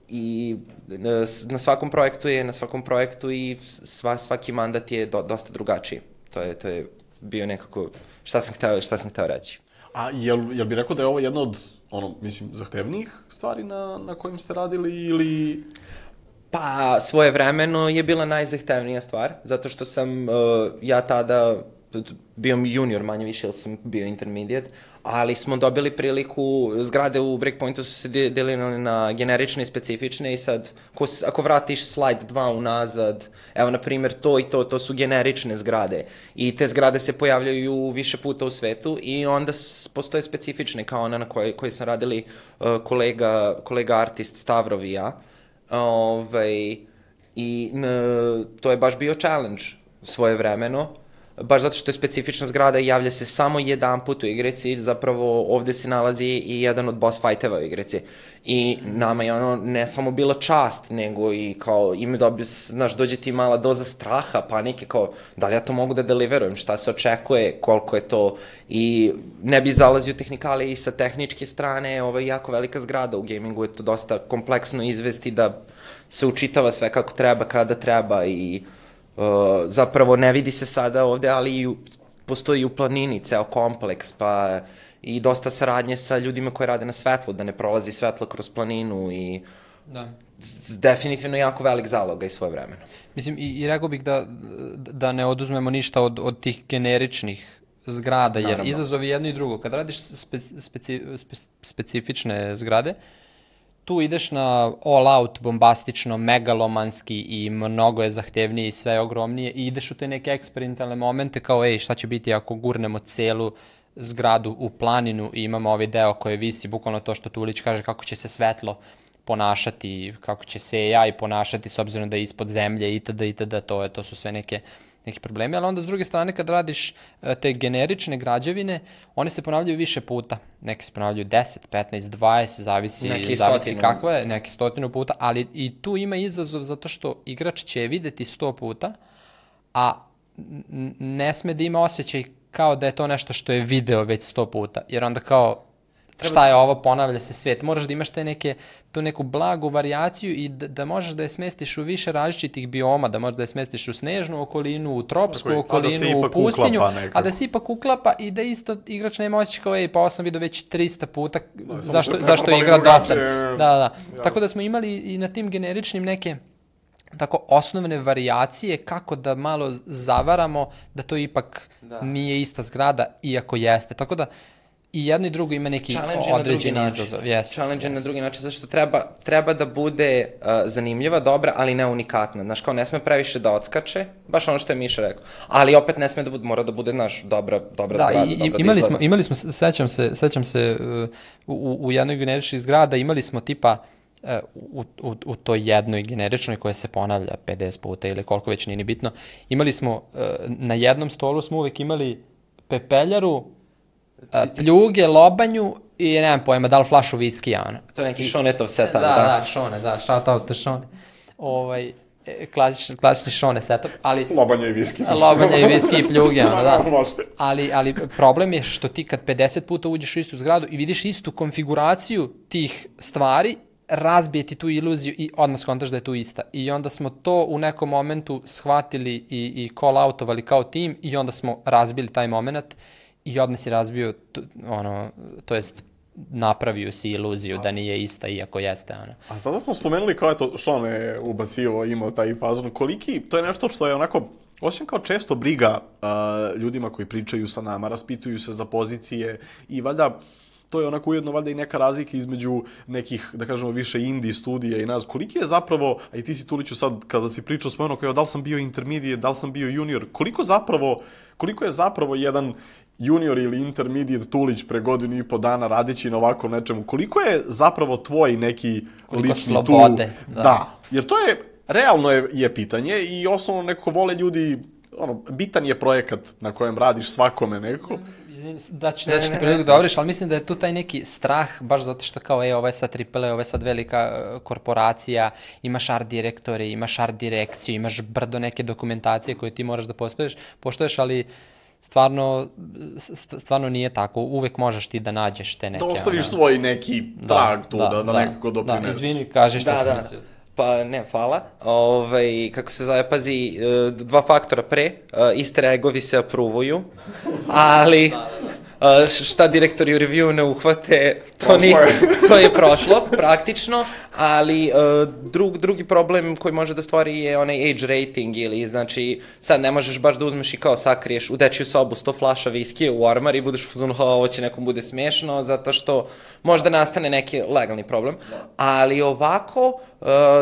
I na svakom projektu i svaki mandat je dosta drugačiji. To je bio nekako šta sam hteo reći. A jel bi rekao da je ovo jedna od, zahtevnijih stvari na kojim ste radili ili... Pa, svojevremeno je bila najzahtevnija stvar, zato što sam ja tada bio junior manje više, jer sam bio intermediate, ali smo dobili priliku, zgrade u Breakpointu su se delile na generične i specifične i sad, ako vratiš slajd 2 unazad, evo, na primjer, to su generične zgrade i te zgrade se pojavljaju više puta u svetu i onda postoje specifične, kao ona na kojoj sam radili kolega artist Stavrov i ja, i to je baš bio challenge svojevremeno, baš zato što je specifična zgrada i javlja se samo jedan put u igrici, zapravo ovde se nalazi i jedan od boss fighteva u igrici. I nama je ne samo bila čast, nego i kao ime dobio, dođe ti mala doza straha, panike, kao da li ja to mogu da deliverujem, šta se očekuje, koliko je to, i ne bi zalazio tehnikale i sa tehničke strane, ovo je jako velika zgrada u gamingu, je to dosta kompleksno izvesti da se učitava sve kako treba, kada treba i zapravo ne vidi se sada ovde, ali postoji i u planini ceo kompleks, pa i dosta saradnje sa ljudima koji rade na svetlu, da ne prolazi svetlo kroz planinu i definitivno jako velik zaloga i svoje vremeno. Mislim, i rekao bih da ne oduzmemo ništa od tih generičnih zgrada, jer izazovi jedno i drugo. Kad radiš specifične zgrade, tu ideš na all out, bombastično, megalomanski i mnogo je zahtevnije i sve je ogromnije i ideš u te neke eksperimentalne momente kao, šta će biti ako gurnemo celu zgradu u planinu i imamo ovaj deo koji visi, bukvalno to što Tulić kaže, kako će se svetlo ponašati, kako će se AI ponašati s obzirom da je ispod zemlje itd. To su sve neki problemi, ali onda s druge strane kad radiš te generične građevine, one se ponavljaju više puta. Neki se ponavljaju 10, 15, 20, zavisi kakva je, neki 100 puta, ali i tu ima izazov zato što igrač će videti 100 puta, a ne sme da ima osjećaj kao da je to nešto što je video već 100 puta, jer onda kao šta je ovo, ponavlja se svet. Moraš da imaš tu neku blagu varijaciju i da možeš da je smestiš u više različitih bioma, da možeš da je smestiš u snežnu okolinu, u tropsku okolinu, u pustinju, a da se ipak uklapa i da isto igrač nema osjećaj kao, pa ovo sam vidio već 300 puta, zašto je igra dosan. Da. Tako da smo imali i na tim generičnim neke tako osnovne varijacije kako da malo zavaramo da to ipak nije ista zgrada, iako jeste. Tako da i jedno i drugo ima neki određeni izazov. Challenge na drugi način, zato što treba da bude zanimljiva, dobra, ali ne unikatna. Znaš, kao ne sme previše da odskače, baš ono što je Miša rekao. Ali opet ne sme da bude, mora da bude, dobra zgrada, dobra da imali smo, sećam se, u jednoj generičnih zgrada imali smo tipa u toj jednoj generičnoj koja se ponavlja 50 puta ili koliko već nije ni bitno, imali smo, na jednom stolu smo uvek imali pepeljaru, pljuge, lobanju i nemam pojma, da li flašu viskija, ono. To je neki Šonetov set, Da, Šone, shout out to Šone. klasični Šone setup, ali... Lobanja i viski. Lobanja i viski i pljuge, da. Ali problem je što ti kad 50 puta uđeš u istu zgradu i vidiš istu konfiguraciju tih stvari, razbije ti tu iluziju i odmah skontaš da je tu ista. I onda smo to u nekom momentu shvatili i call-outovali kao tim i onda smo razbili taj moment i odmah si razbio, to jest napravio si iluziju da nije ista, iako jeste. A sada smo spomenuli kao je Sean je ubacio, imao taj fazon. Koliki, to je nešto što je onako, osjećam kao često briga ljudima koji pričaju sa nama, raspituju se za pozicije i valjda to je onako ujedno valjda i neka razlika između nekih, da kažemo, više indie studija i nas. Koliki je zapravo, a i ti si Tuliću sad, kada si pričao spomenuo kao da li sam bio intermediate, da li sam bio junior, koliko je zapravo jedan junior ili intermediate Tulić pre godinu i po dana radeći na ovako nečemu, koliko je zapravo tvoj neki lični slobode, da, jer to je, realno je pitanje i osnovno nekako vole ljudi, bitan je projekat na kojem radiš svakome nekako. Da ću ti priliku da obriš, ali mislim da je tu taj neki strah, baš zato što kao, ovo je sad AAA, ovo je sad velika korporacija, imaš art direktore, imaš art direkciju, imaš brdo neke dokumentacije koje ti moraš da poštoješ, ali stvarno nije tako. Uvek možeš ti da nađeš te neke... Da ostaviš svoj neki trag tu, da nekako doprineseš. Da, izvini, kaži što sam mislio. Pa ne, hvala. Kako se zove, pazi, dva faktora pre, easter eggovi se apruvuju, ali šta direktori u review ne uhvate, to je prošlo, praktično, ali drugi problem koji može da stvori je onaj age rating ili, znači, sad ne možeš baš da uzmeš i kao sakriješ u dečju sobu 100 flaša viskije u ormar i budeš u fazonu, ovo će nekom bude smešno, zato što možda nastane neki legalni problem, ali ovako,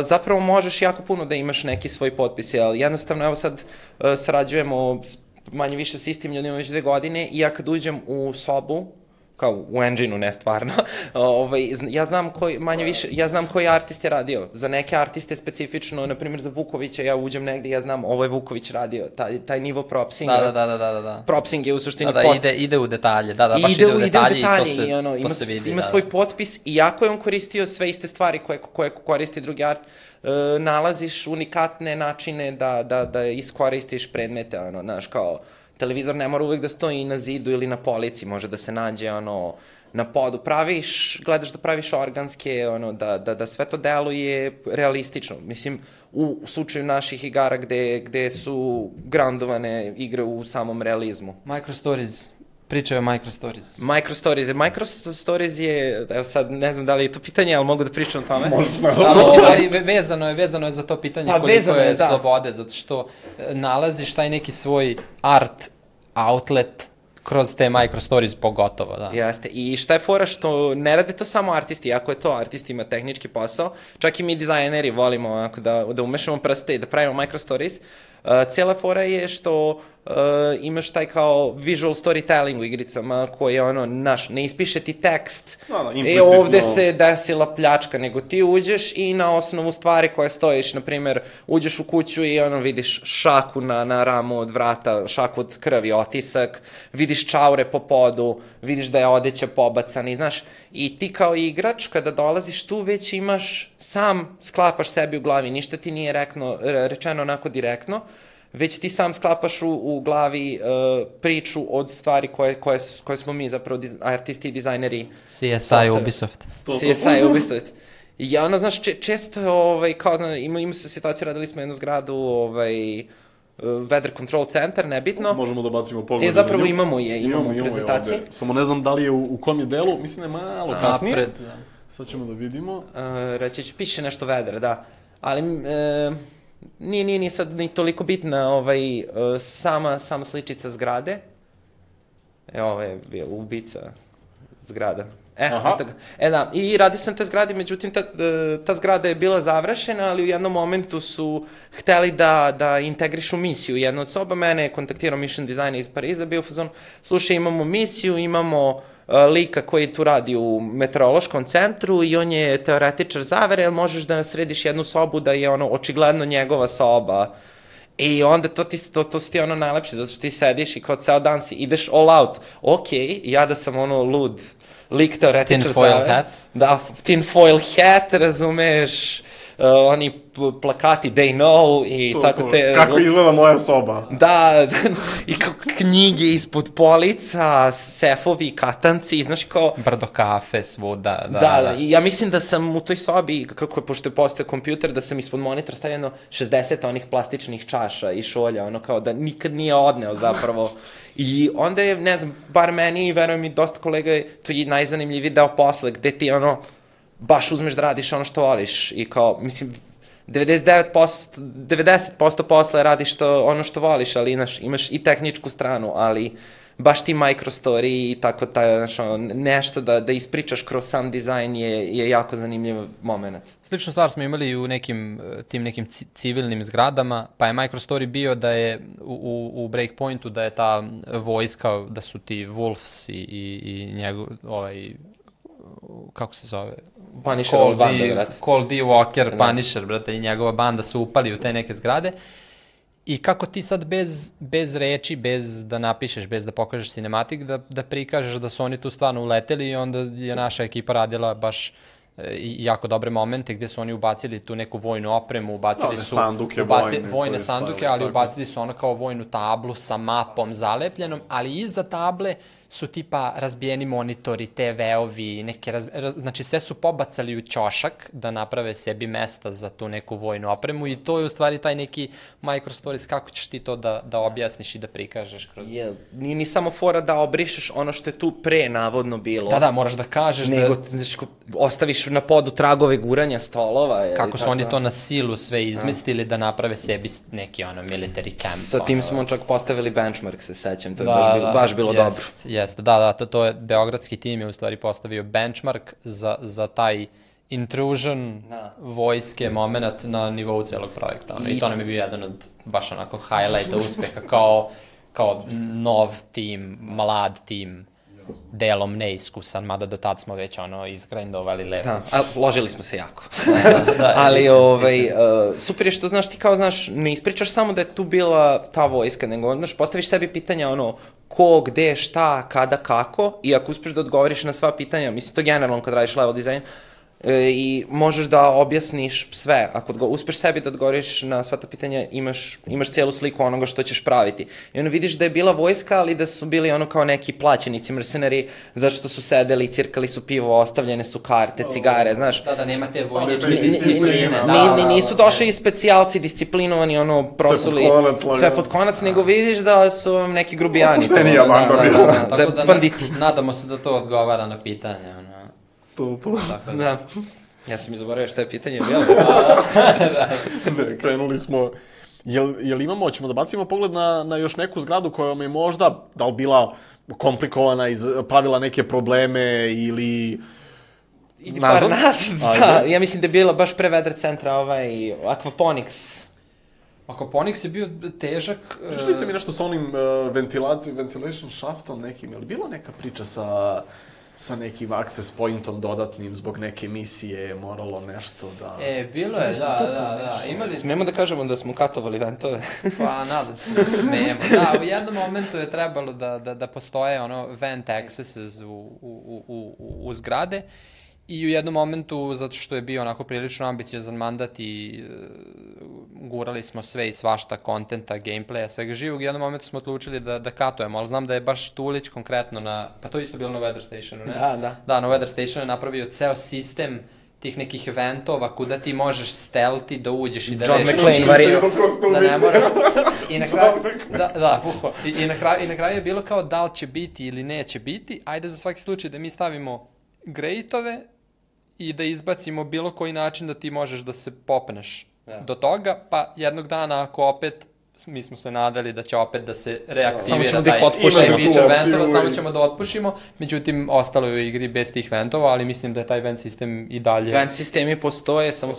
zapravo možeš jako puno da imaš neki svoj potpis, ali jednostavno, evo sad sarađujemo manje više s istim ljudima već 2 godine i ja kad uđem u sobu, kao u engine-u, ne stvarno, ja znam koji artist je radio. Za neke artiste specifično, na primjer za Vukovića, ja uđem negde i ja znam ovo je Vuković radio, taj nivo propsinga. Da. Propsing je u suštini... Ide u detalje, baš ide u detalje i to se vidi. Ima svoj potpis, iako je on koristio sve iste stvari koje koristi drugi art, nalaziš unikatne načine da iskoristiš predmete, znaš, kao televizor ne mora uvek da stoji na zidu ili na polici, može da se nađe, na podu, gledaš da praviš organske, da sve to deluje realistično, mislim, u slučaju naših igara gde su groundovane igre u samom realizmu. Microstories. Pričaju o Microstories. Microstories je, evo sad ne znam da li je to pitanje, ali mogu da pričam o tome. Ali vezano je za to pitanje koliko je slobode, zato što nalaziš taj neki svoj art outlet kroz te Microstories pogotovo, da. Jeste, i šta je fora što ne rade to samo artisti, iako je to artistima tehnički posao, čak i mi dizajneri volimo da umešamo prste i da pravimo Microstories. Cijela fora je što imaš taj kao visual storytelling u igricama koji je ne ispiše ti tekst, ovde se desila pljačka, nego ti uđeš i na osnovu stvari koje stojiš, na primjer, uđeš u kuću i vidiš šaku na ramu od vrata, šaku od krvi, otisak, vidiš čaure po podu, vidiš da je odeća pobacana, znaš, i ti kao igrač kada dolaziš tu već sam sklapaš sebi u glavi, ništa ti nije rečeno onako direktno, već ti sam sklapaš u glavi priču od stvari koje smo mi zapravo artisti i dizajneri. CSI Ubisoft. CSI Ubisoft. I znaš, često, kao, ima se situaciju, radili smo jednu zgradu, Weather Control Center, nebitno. Možemo da bacimo pogled. Zapravo imamo prezentaciji. Samo ne znam da li je u kom je delu, mislim da je malo kasnije. Sad ćemo da vidimo. Reći ću, piše nešto weather, da. Ali nije sad ni toliko bitna sama sličica zgrade. Ovo je bio ubica zgrada. Da, i radio sam te zgrade, međutim ta zgrada je bila završena, ali u jednom momentu su hteli da integrišu misiju. Jedna od soba, mene je kontaktirao mission designer iz Pariza, bio fazon, slušaj, imamo misiju, imamo lika koji tu radi u meteorološkom centru i on je teoretičar zavere, ali možeš da središ jednu sobu da je očigledno njegova soba. I onda to su ti najlepše, zato što ti sediš i kao ceo dan ideš all out. Ok, ja da sam lud lik teoretičar zavere. Tin foil hat. Da, tin foil hat, razumeš, oni plakati They Know i tako te... Kako izgleda moja soba. Da, i knjige ispod polica, sefovi, katanci, znaš kao... Brdo kafe svuda, Da, ja mislim da sam u toj sobi, pošto je postao kompjuter, da sam ispod monitora stavio 60 onih plastičnih čaša i šolja, ono kao da nikad nije odneo zapravo. I onda je, ne znam, bar meni i verujem i dosta kolega, to je najzanimljiviji deo posle, gde ti ono, baš uzmeš da radiš ono što voliš i kao, mislim, 90% posle radiš ono što voliš, ali imaš i tehničku stranu, ali baš ti microstory i tako nešto da ispričaš kroz sam dizajn je jako zanimljiv moment. Sličnu stvar smo imali i u tim nekim civilnim zgradama, pa je microstory bio da je u Breakpointu da je ta vojska, da su ti Wolves i njegov, kako se zove? Punisher banda, brate. Cole D. Walker, Punisher, brate, i njegova banda su upali u te neke zgrade. I kako ti sad bez reči, bez da napišeš, bez da pokažeš cinematik, da prikažeš da su oni tu stvarno uleteli i onda je naša ekipa radila baš jako dobre momente gde su oni ubacili tu neku vojnu opremu, ubacili su vojne sanduke, ali ubacili su ono kao vojnu tablu sa mapom zalepljenom, ali iza table su tipa razbijeni monitori, TV-ovi, znači sve su pobacali u ćošak da naprave sebi mesta za tu neku vojnu opremu i to je u stvari taj neki microstories, kako ćeš ti to da objasniš i da prikažeš kroz... Nije ni samo fora da obrišeš ono što je tu pre navodno bilo. Da, moraš da kažeš nego, znači, ostaviš na podu tragove guranja stolova. Kako su oni to na silu sve izmestili da naprave sebi neki military camp. Sa tim smo čak postavili benchmark, se sećam, to je baš bilo dobro. Jeste, to je, beogradski tim je u stvari postavio benchmark za taj intrusion vojske moment na nivou celog projekta. I to nam je bio jedan od baš onako highlighta uspeha kao nov tim, mlad tim, delom neiskusan, mada do tad smo već izgrindovali lepo. Da, ložili smo se jako. Ali super je što, znaš, ti kao, znaš, ne ispričaš samo da je tu bila ta vojska, nego, znaš, postaviš sebi pitanja, ko, gde, šta, kada, kako, i ako uspeš da odgovoriš na sva pitanja, mislim, to generalno kad radiš level design, i možeš da objasniš sve. Ako uspeš sebi da odgovoriš na sva ta pitanja, imaš cijelu sliku onoga što ćeš praviti. I ono vidiš da je bila vojska, ali da su bili ono kao neki plaćenici, mercenari, zato što su sedeli, cirkali su pivo, ostavljene su karte, cigare, znaš. Da, nema te vojničke discipline. Nisu došli i specijalci, disciplinovani, prosuli sve pod konac, nego vidiš da su neki grubijani. Opuštenija banda bila. Tako da nadamo se da to odgovara na pitanje, Da. Ja sam zaboravio šta je pitanje bilo. Ne, krenuli smo. Jel imamo, ćemo da bacimo pogled na još neku zgradu koja vam je možda, da li bila komplikovana, pravila neke probleme ili... Idi par nas, da. Ja mislim da je bila baš pre Vedra centra Aquaponics. Aquaponics je bio težak. Pričali ste mi nešto sa onim ventilation shaftom nekim, je li bilo neka priča sa nekim access pointom dodatnim zbog neke misije, moralo nešto da... Bilo je, da. Smemo da kažemo da smo katovali ventove? Pa, nadam se da smemo. Da, u jednom momentu je trebalo da postoje vent accesses u zgrade i u jednom momentu, zato što je bio onako prilično ambiciozan mandat i gurali smo sve i svašta, kontenta, gameplaya, svega živog, u jednom momentu smo odlučili da katujemo, ali znam da je baš Tulić konkretno pa to je isto bilo na Weather Stationu, ne? Da. Da, na Weather Stationu je napravio ceo sistem tih nekih eventova kuda ti možeš stealthi da uđeš i da rešiš... John McClane, da ne moraš... I na kraju... Da, puho. I na kraju je bilo kao da li će biti ili neće biti, ajde za svaki slučaj da mi stavimo grejtove i da izbacimo bilo koji način da ti možeš da se popneš do toga, pa jednog dana ako opet, mi smo se nadali da će opet da se reaktivira taj feature ventova, samo ćemo da otpušimo, međutim ostalo je u igri bez tih ventova, ali mislim da je taj vent sistem i dalje... Vent sistemi postoje, samo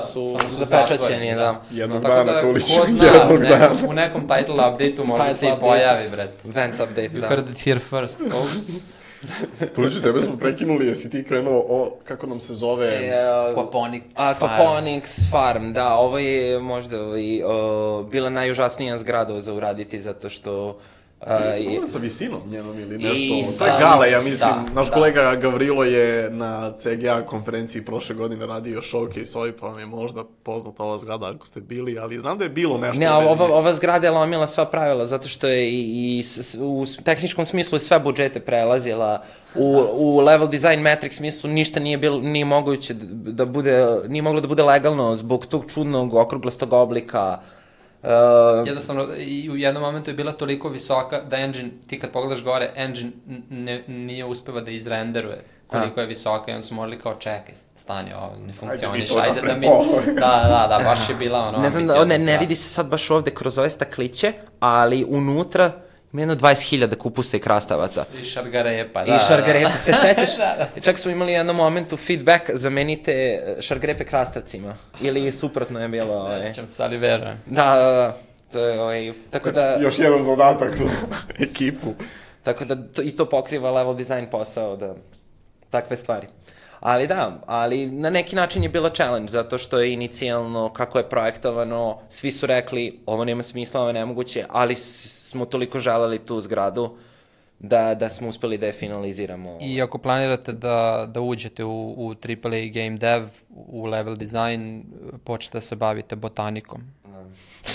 su zapečaćeni, da. Jednog dana, Tulić, jednog dana. U nekom title update-u možda se i pojavi, bret. Vents update, da. You heard it here first, folks. Tuliću, tebe smo prekinuli, jesi ti krenuo kako nam se zove... Aquaponics Farm, da, ovo je možda bila najužasnija zgrada za uraditi, zato što Problem sa visinom njenom ili nešto. To je gale, ja mislim. Naš kolega Gavrilo je na CGA konferenciji prošle godine radio showcase, pa vam je možda poznata ova zgrada ako ste bili, ali znam da je bilo nešto. Ne, ova zgrada je lomila sva pravila, zato što je i u tehničkom smislu sve budžete prelazila. U level design metric smislu ništa nije moguće da bude, nije moglo da bude legalno zbog tog čudnog okruglastog oblika. Jednostavno, i u jednom momentu je bila toliko visoka da engine, ti kad pogledaš gore, engine nije uspeva da izrenderuje koliko je visoka i onda su morali kao čekaj, stani ovo, ne funkcioniš, ajde da mi... Da, baš je bila ono... Ne znam, ne vidi se sad baš ovde kroz ove stakliće, ali unutra ima jedno 20.000 kupusa i krastavaca. I šargarepa, I šargarepa, se sećaš? Čak smo imali jednom momentu feedback, zamenite šargarepe krastavcima. Ili suprotno je bilo... Ne sećam se, ali verujem. Da. To je, tako da... Još jedan zadatak za ekipu. Tako da i to pokriva level design posao, da... Takve stvari. Ali na neki način je bila challenge, zato što je inicijalno, kako je projektovano, svi su rekli, ovo nema smisla, ovo je nemoguće, ali smo toliko želeli tu zgradu da smo uspeli da je finaliziramo. I ako planirate da uđete u AAA game dev, u level design, počete da se bavite botanikom.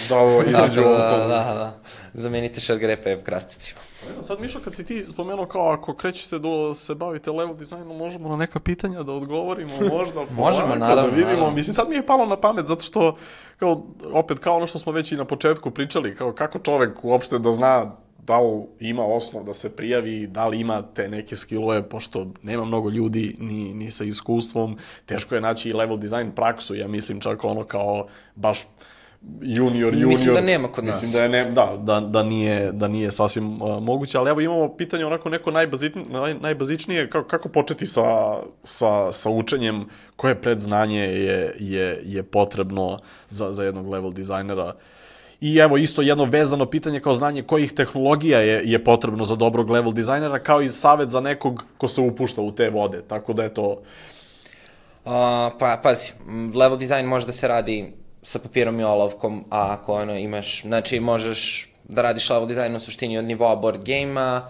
Da, ovo između ostalo. Da. Zamenite šargarepe krasticima. Sad, Mišo, kad si ti spomenuo kao ako krećete da se bavite level dizajnom, možemo na neka pitanja da odgovorimo, možda možemo, naravno, da vidimo. Naravno. Mislim, sad mi je palo na pamet, zato što, kao ono što smo već i na početku pričali, kao kako čovek uopšte da zna da li ima osnov da se prijavi, da li ima te neke skillove, pošto nema mnogo ljudi ni sa iskustvom, teško je naći i level design praksu, ja mislim čak ono kao baš junior. Mislim da nema kod nas. Mislim da nije sasvim moguće, ali evo imamo pitanje onako neko najbazičnije, kako početi sa učenjem, koje predznanje je potrebno za jednog level dizajnera. I evo isto jedno vezano pitanje kao znanje kojih tehnologija je potrebno za dobrog level dizajnera, kao i savjet za nekog ko se upušta u te vode, tako da je to... Pazi, level design može da se radi sa papirom i olovkom, a ako imaš, znači možeš da radiš level design u suštini od nivoa board game-a.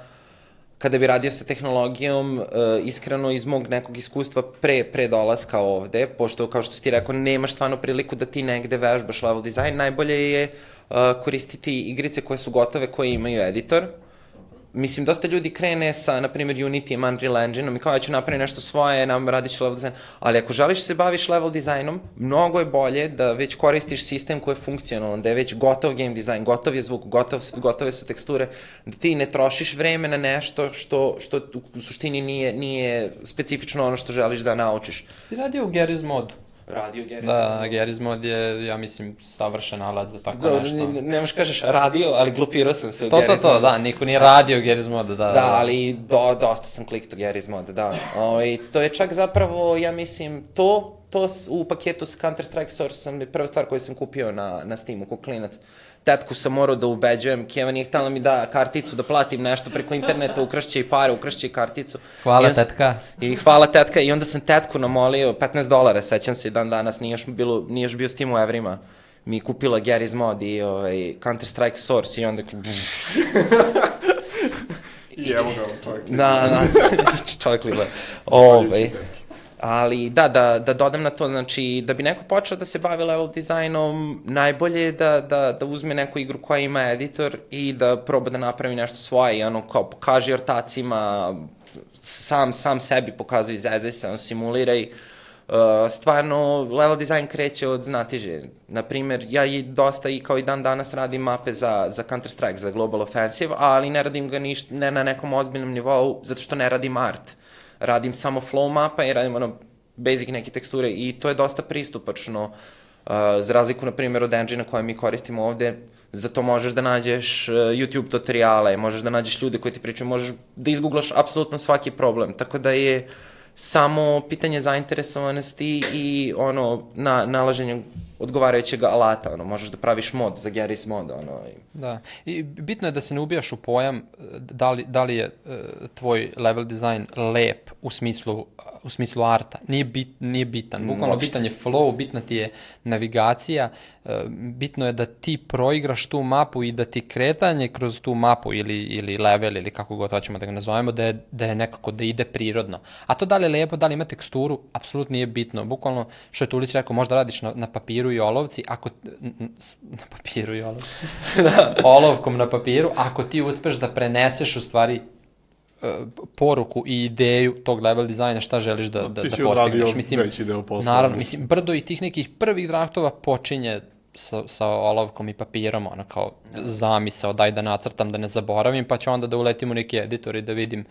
Kada bi radio sa tehnologijom, iskreno iz mog nekog iskustva pre dolaska ovde, pošto kao što si ti rekao, nemaš stvarno priliku da ti negde vežbaš level design, najbolje je koristiti igrice koje su gotove, koje imaju editor. Mislim, dosta ljudi krene sa, na primjer, Unity, Unreal Engine-om i kao ja ću napraviti nešto svoje, radit ću level design, ali ako želiš se baviš level dizajnom, mnogo je bolje da već koristiš sistem koji je funkcionalan, da je već gotov game design, gotov je zvuk, gotove su teksture, da ti ne trošiš vreme na nešto što u suštini nije specifično ono što želiš da naučiš. Si radio u Garry's modu? Radio Garry's Da, Garry's mod je, ja mislim, savršen alat za tako nešto. Nemaš kažeš radio, ali glupirao sam se u Garry's mod. To, da, niko nije radio Garry's mod, da. Da, ali dosta sam klikto Garry's mod, da. To je čak zapravo, ja mislim, to u paketu sa Counter-Strike Source sam prva stvar koju sam kupio na Steamu, ko klinac. Tetku sam morao da ubeđujem, Keva nije htjela mi da karticu, da platim nešto preko interneta, ukrašće i pare, ukrašće i karticu. Hvala tetka. I hvala tetka, i onda sam tetku namolio, $15, sećam se dan danas, nije još bio Steam u evrima. Mi kupila Garry's mod i Counter-Strike Source i onda... I evo ga, čovjek. Da, čovjek liba. Ali da dodam na to, znači, da bi neko počeo da se bavi level dizajnom, najbolje je da uzme neku igru koja ima editor i da proba da napravi nešto svoje i kao pokaži ortacima, sam sebi pokazuje, izezaj se, simuliraj. Stvarno, level design kreće od znatiže. Naprimer, ja dosta i kao i dan danas radim mape za Counter-Strike, za Global Offensive, ali ne radim ga ne na nekom ozbiljnom nivou, zato što ne radim art. Radim samo flow mapa i radim basic neke teksture i to je dosta pristupačno. Za razliku, na primjer, od engine-a koje mi koristimo ovde, za to možeš da nađeš YouTube tutoriale, možeš da nađeš ljude koji ti pričaju, možeš da izgooglaš apsolutno svaki problem. Tako da je samo pitanje zainteresovanosti i nalaženja odgovarajućeg alata, možeš da praviš mod za Garry's mod, Da, i bitno je da se ne ubijaš u pojam da li je tvoj level design lep u smislu arta. Nije bitan. Bukvalno bitan je flow, bitna ti je navigacija, bitno je da ti proigraš tu mapu i da ti kretanje kroz tu mapu ili level ili kako god hoćemo da ga nazovemo, da je nekako da ide prirodno. A to da li je lepo, da li ima teksturu, apsolutno nije bitno. Bukvalno, što je Tulić rekao, možda radiš na papiru i olovci, na papiru i olovci, olovkom na papiru, ako ti uspeš da preneseš u stvari poruku i ideju tog level dizajna, šta želiš da postigneš. Ti si odradio veći deo posla. Naravno, brdo i tih nekih prvih draftova počinje sa olovkom i papirom, kao zamisao, daj da nacrtam, da ne zaboravim, pa ću onda da uletim u neki editor i da vidim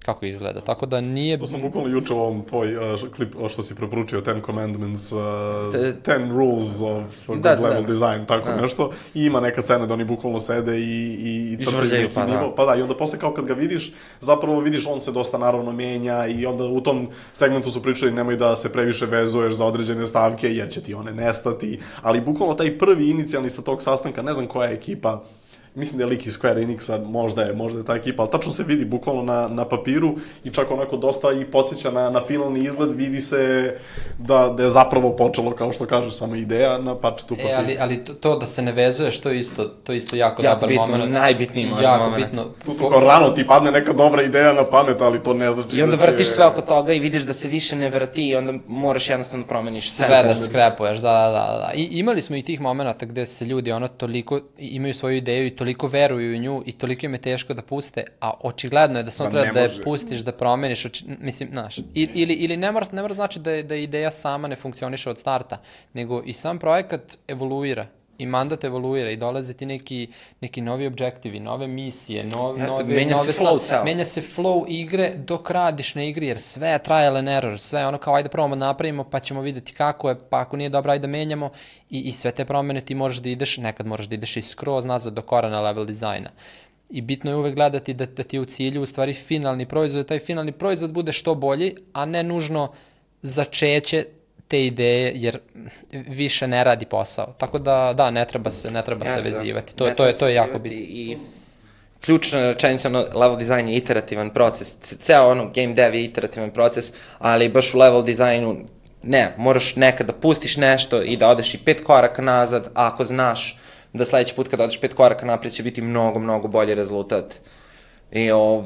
kako izgleda. Tako da nije... To sam bukvalno juče u ovom tvoj klip, što si preporučio, 10 Commandments, 10 Rules of Good Level Design, tako nešto. I ima neka scena da oni bukvalno sede i crtaju neki nivo. Pa da, i onda posle kao kad ga vidiš, zapravo vidiš on se dosta naravno menja i onda u tom segmentu su pričali nemoj da se previše vezuješ za određene stavke jer će ti one nestati. Ali bukvalno taj prvi inicijalni sa tog sastanka, ne znam koja je ekipa, mislim da je lik iz Square Enixa, možda je ta ekipa, ali tačno se vidi bukvalno na papiru i čak onako dosta i podsjeća na finalni izgled, vidi se da je zapravo počelo, kao što kažeš, samo ideja na parčetu papira. Ali to da se ne vezuješ, to je isto jako dobar moment. Najbitniji možda moment. Tu kao rano ti padne neka dobra ideja na pamet, ali to ne znači i onda vrtiš sve oko toga i vidiš da se više ne vrti i onda moraš jednostavno promeniš sve da skrepuješ, da. I imali smo i tih momenta gde se ljudi toliko imaju svoju ideju i toliko veruju u nju i toliko im je teško da puste, a očigledno je da samo treba da je pustiš, da promeniš, mislim, znaš, ili ne mora znači da ideja sama ne funkcioniše od starta, nego i sam projekat evoluira i mandat evoluira i dolaze ti neki novi objektivi, nove misije, menja se flow igre dok radiš na igri, jer sve je trial and error, sve je kao ajde probamo napravimo pa ćemo vidjeti kako je, pa ako nije dobro ajde menjamo i sve te promene ti nekad moraš da ideš i skroz nazad do korana level dizajna. I bitno je uvek gledati da ti je u cilju u stvari finalni proizvod, da taj finalni proizvod bude što bolji, a ne nužno začeće te ideje, jer više ne radi posao. Tako da, ne treba se vezivati. To je jako bitno. I ključna rečenica, level design je iterativan proces. Ceo game dev je iterativan proces, ali baš u level designu moraš nekad da pustiš nešto i da odeš i 5 koraka nazad, a ako znaš da sledeći put kada odeš 5 koraka napred će biti mnogo, mnogo bolji rezultat.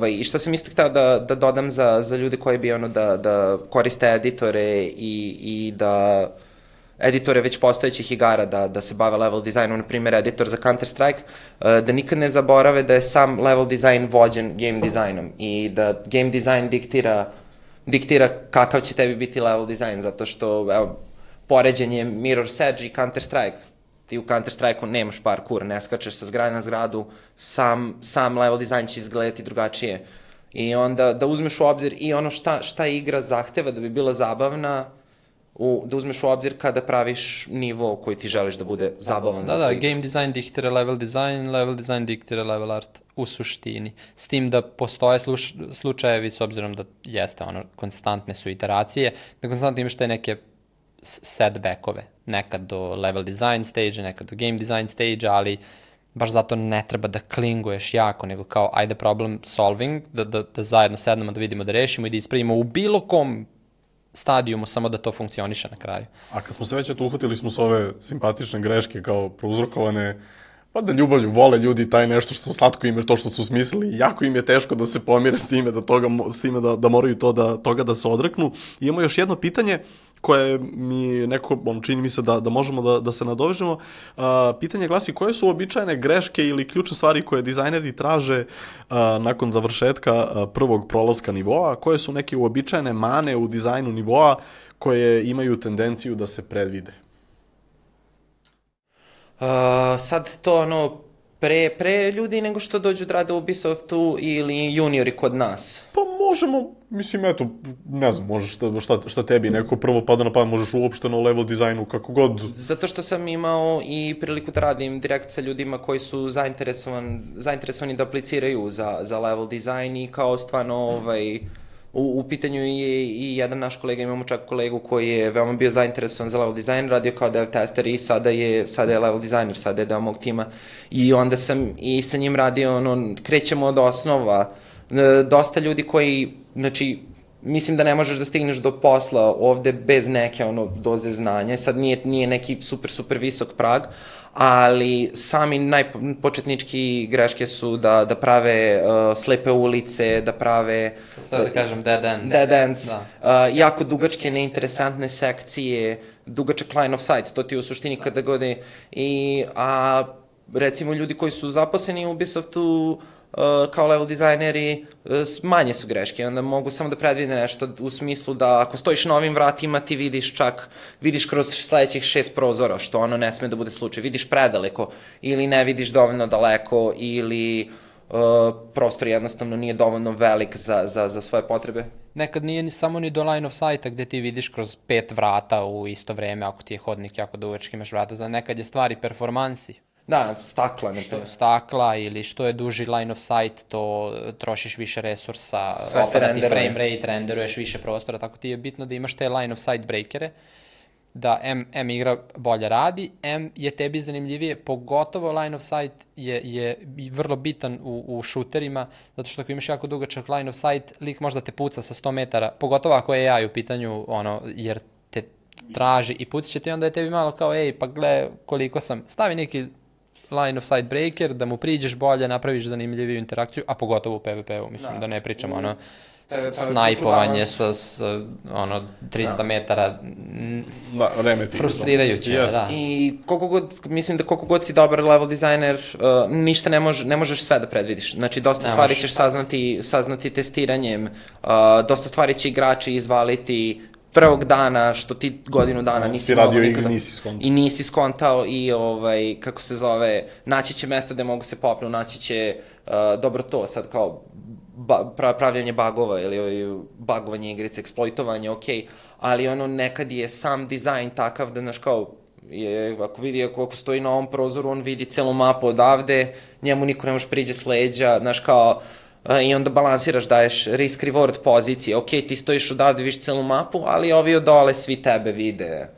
I šta sam isto hteo da dodam za ljude koji bi da koriste editore i da editore već postojećih igara da se bave level dizajnom, na primjer editor za Counter-Strike, da nikad ne zaborave da je sam level dizajn vođen game dizajnom i da game dizajn diktira kakav će tebi biti level dizajn, zato što, evo, poređenje Mirror's Edge i Counter-Strike. Ti u Counter-Strike-u nemaš parkour, ne skačeš sa zgrade na zgradu, sam level dizajn će izgledati drugačije. I onda da uzmeš u obzir i ono šta igra zahteva da bi bila zabavna, da uzmeš u obzir kada praviš nivo koji ti želiš da bude zabavan. Da, game design diktira level design diktira level art u suštini. S tim da postoje slučajevi, s obzirom da jeste konstantne su iteracije, da konstantno imaš te neke setbackove, nekad do level design stage, nekad do game design stage, ali baš zato ne treba da klinguješ jako, nego kao ajde problem solving, da zajedno sednemo, da vidimo, da rešimo i da ispravimo u bilo kom stadijumu, samo da to funkcioniše na kraju. A kad smo se već uhvatili smo s ove simpatične greške kao prouzrokovane, pa da ljubavlju vole ljudi taj nešto što slatko im je to što su smislili, jako im je teško da se pomire s time, da moraju toga da se odreknu. I imamo još jedno pitanje koje mi neko, čini mi se da možemo da se nadovežemo. Pitanje glasi, koje su uobičajene greške ili ključne stvari koje dizajneri traže nakon završetka prvog prolaska nivoa? Koje su neke uobičajene mane u dizajnu nivoa koje imaju tendenciju da se predvide? Sad to pre ljudi nego što dođu da rade u Ubisoftu ili juniori kod nas? Pa možemo, mislim, eto, ne znam, možeš šta tebi neko prvo pada na pamet, možeš uopšteno level dizajnu, kako god. Zato što sam imao i priliku da radim direkt sa ljudima koji su zainteresovani da apliciraju za level dizajn i kao stvarno U pitanju je i jedan naš kolega, imamo čak kolegu koji je veoma bio zainteresovan za level design, radio kao dev tester i sada je level designer, sada je deo mog tima. I onda sam i sa njim radio, krećemo od osnova. Dosta ljudi koji, znači, mislim da ne možeš da stigneš do posla ovde bez neke doze znanja. Sad nije neki super visok prag, ali sami najpočetnički greške su da prave slepe ulice, da prave... Postoje da kažem dead ends. Jako dugačke, neinteresantne sekcije, dugačak line of sight, to ti u suštini kada god je... A recimo ljudi koji su zaposleni u Ubisoftu, kao level dizajneri, manje su greške, onda mogu samo da predvide nešto u smislu da ako stojiš na ovim vratima ti vidiš kroz sledećih 6 prozora, što ono ne sme da bude slučaj, vidiš predaleko ili ne vidiš dovoljno daleko ili prostor jednostavno nije dovoljno velik za svoje potrebe. Nekad nije samo ni do line of sight-a gde ti vidiš kroz 5 vrata u isto vreme, ako ti je hodnik jako dugački, imaš vrata, nekad je stvari performansi. Da, stakla. Što je stakla ili što je duži line of sight, to trošiš više resursa, opada ti frame rate, renderuješ više prostora, tako ti je bitno da imaš te line of sight breakere, da M igra bolje radi, M je tebi zanimljivije, pogotovo line of sight je vrlo bitan u šuterima, zato što ako imaš jako dugačak line of sight, lik možda te puca sa 100 metara, pogotovo ako je AI u pitanju, jer te traži i pucat će ti, onda je tebi malo kao, pa gle koliko sam, stavi neki line of sight breaker, da mu priđeš bolje, napraviš zanimljiviju interakciju, a pogotovo u PvP-u, mislim da ne pričamo snajpovanje sa 300 metara, frustrirajuće, da. I mislim da koliko god si dobar level dizajner, ništa ne možeš sve da predvidiš. Znači, dosta stvari ćeš saznati testiranjem, dosta stvari će igrači izvaliti prvog dana, što ti godinu dana nisi radio igru, nisi skontao. I nisi skontao i, kako se zove, naći će mesto gde mogu se popnu, naći će, dobro to, sad kao pravljanje bugova ili bugovanje igrice, eksploitovanje, okej, ali nekad je sam dizajn takav da, znaš, kao, ako vidi, ako stoji na ovom prozoru, on vidi celu mapu odavde, njemu niko ne može priđe s leđa, znaš, kao, i onda balansiraš, daješ risk-reward pozicije, okej, ti stojiš odavde, vidiš celu mapu, ali ovi od dole svi tebe vide.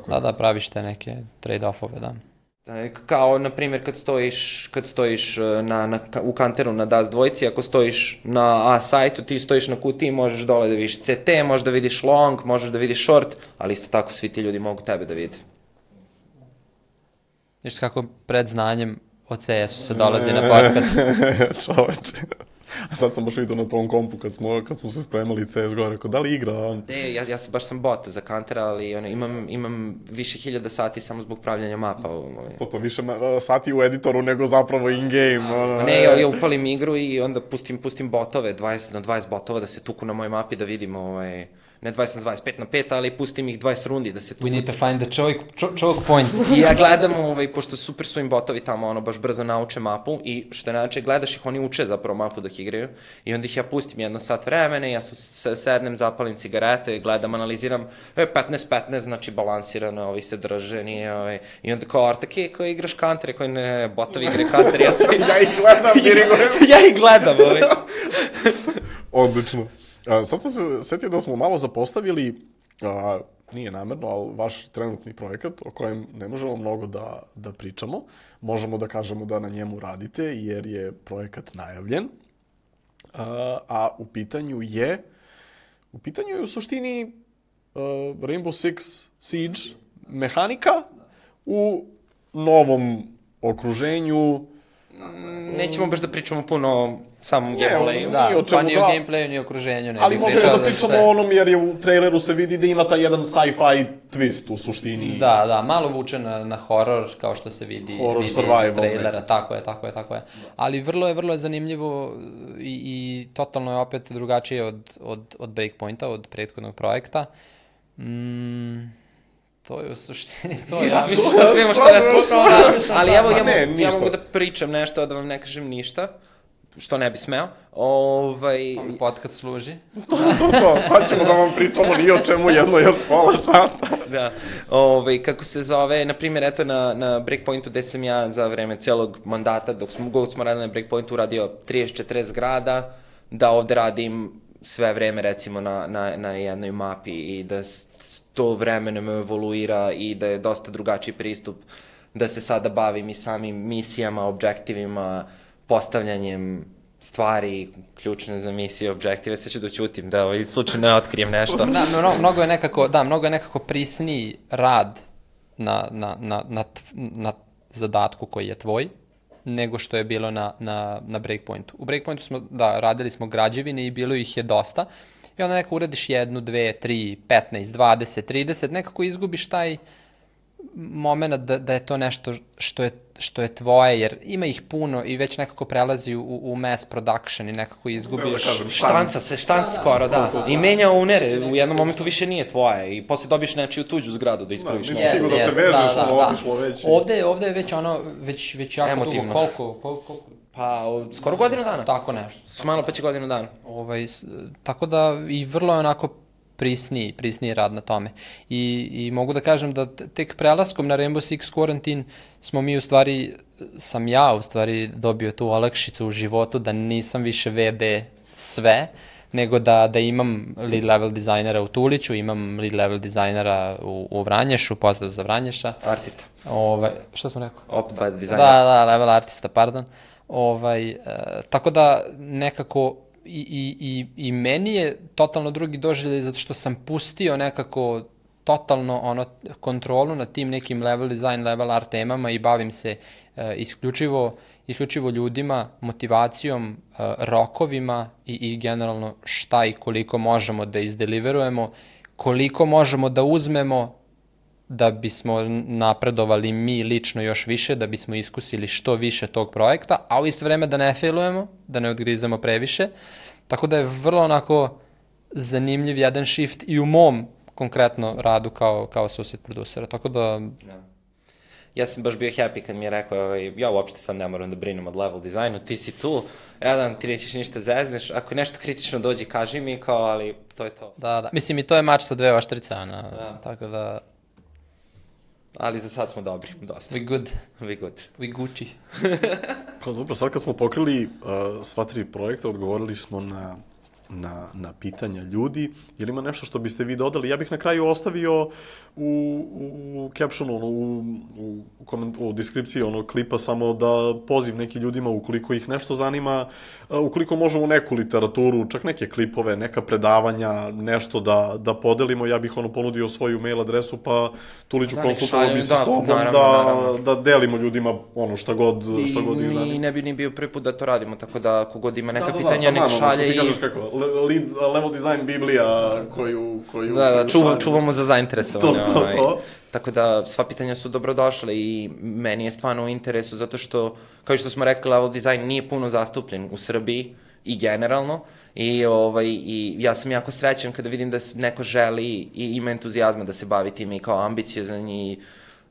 Da, praviš te neke trade-offove, da. Kao, na primjer, kad stojiš u kanteru na DAS dvojci, ako stojiš na A sajtu, ti stojiš na kutiji, možeš dole da vidiš CT, možeš da vidiš long, možeš da vidiš short, ali isto tako svi ti ljudi mogu tebe da vide. Viš kako pred znanjem o CS-u se dolazi na podcast. Čoveče. A sad sam baš vidio na tom kompu kad smo se spremali CSGO, rekao, da li igra? Ja baš sam bot za Counter, ali imam više hiljada sati samo zbog pravljanja mapa. To više sati u editoru nego zapravo in-game. Ne, ja upalim igru i onda pustim botove, 20 na 20 botova da se tuku na mojoj mapi, da vidim ne 20 na 25 na 5, ali pustim ih 20 rundi da se tu... We need to find the choke points. I ja gledam, pošto super su im botovi tamo, baš brzo nauče mapu i što je gledaš ih, oni uče zapravo mapu dok igraju i onda ih ja pustim 1 sat vremena i ja sednem, zapalim cigarete, gledam, analiziram, 15-15, znači balansirano, ovi se drže, nije, i onda kao Artake, kao igraš Counter, kao ne, botovi igre Counter, ja ih gledam, ja ih gledam, Odlično. Sad sam se setio da smo malo zapostavili, nije namerno, ali vaš trenutni projekat o kojem ne možemo mnogo da pričamo. Možemo da kažemo da na njemu radite jer je projekat najavljen, a u pitanju je u suštini Rainbow Six Siege mehanika u novom okruženju. Nećemo baš da pričamo puno o samom gameplayu. Da, pa ni o gameplayu, ni o okruženju. Ali možemo da pričamo o onom, jer je u traileru se vidi da ima taj jedan sci-fi twist u suštini. Da, malo vuče na horror, kao što se vidi iz trailera. Tako je. Ali vrlo je zanimljivo i totalno je opet drugačije od Breakpointa, od prethodnog projekta. To je u suštini, razmišljaš da smijemo šta razmišljamo. Ali evo, ja mogu da pričam nešto, da vam ne kažem ništa, što ne bi smeo. Podcast služi. To, sad ćemo da vam pričamo ni o čemu još pola sata. Da, kako se zove, na primjer, eto na Breakpointu gde sam ja za vreme celog mandata, dok smo radili na Breakpointu, uradio 30-40 zgrada, da ovde radim sve vreme recimo na jednoj mapi i da to vremenom evoluira i da je dosta drugačiji pristup, da se sada bavim i samim misijama, objektivima, postavljanjem stvari ključne za misije, objektive, sad ću da ćutim, da slučajno ne otkrijem nešto. Mnogo je nekako prisniji rad na zadatku koji je tvoj, nego što je bilo na Breakpointu. U Breakpointu smo, radili smo građevine i bilo ih je dosta i onda nekako uradiš 1, 2, 3, 15, 20, 30, nekako izgubiš taj moment da je to nešto što je tvoje, jer ima ih puno i već nekako prelazi u mass production i nekako izgubiš. Štanca skoro, da. I menja unere, u jednom momentu više nije tvoje i posle dobiješ nečiju tuđu zgradu da ispraviš. Da, nisi stigo da se vežeš, otišlo već. Ovde je već jako dugo. Koliko? Pa, skoro godinu dana. Tako nešto. Malo pa će godinu dana. Tako da i vrlo je onako prisniji rad na tome. I mogu da kažem da tek prelaskom na Rainbow Six Quarantine sam ja u stvari dobio tu olakšicu u životu da nisam više VD sve, nego da imam lead level dizajnera u Tuliću, imam lead level dizajnera u Vranješu, pozdrav za Vranješa. Artista. Što sam rekao? Opet dizajner. Da, level artista, pardon. Tako da nekako i meni je totalno drugi doživljaj zato što sam pustio nekako totalno kontrolu nad tim nekim level design, level art temama i bavim se isključivo ljudima, motivacijom, rokovima i generalno šta i koliko možemo da izdeliverujemo, koliko možemo da uzmemo da bismo napredovali mi lično još više, da bismo iskusili što više tog projekta, a u isto vreme da ne failujemo, da ne odgrizemo previše. Tako da je vrlo onako zanimljiv jedan shift i u mom konkretno radu kao associate producera. Tako da... Ja sam baš bio happy kad mi je rekao, ja uopšte sad ne moram da brinem od level dizajnu, ti si tu, ti nećeš ništa zezneš, ako nešto kritično dođi, kaži mi, ali to je to. Da. Mislim, i to je mač sa 2 oštrice, tako da... Ali za sad smo dobri, dosta. We good. We Gucci. Pa dobro, sad kad smo pokrili sva 3 projekta, odgovorili smo na pitanja ljudi. Je li ima nešto što biste vi dodali? Ja bih na kraju ostavio u captionu, u deskripciji klipa samo da poziv neki ljudima ukoliko ih nešto zanima, ukoliko možemo neku literaturu, čak neke klipove, neka predavanja, nešto da podelimo. Ja bih ponudio svoju mail adresu, pa Tuliću konsultovao bi se s tobom da delimo ljudima šta god ih zanima. I ne bi ni bio prvi put da to radimo, tako da ako god ima neka pitanja, nek šalje i... Level design biblija koju... Da, čuvamo za zainteresovanje. To. Tako da sva pitanja su dobrodošle i meni je stvarno u interesu zato što, kao što smo rekli, level design nije puno zastupljen u Srbiji i generalno i ja sam jako srećan kada vidim da neko želi i ima entuzijazma da se bavi tim i kao ambiciozan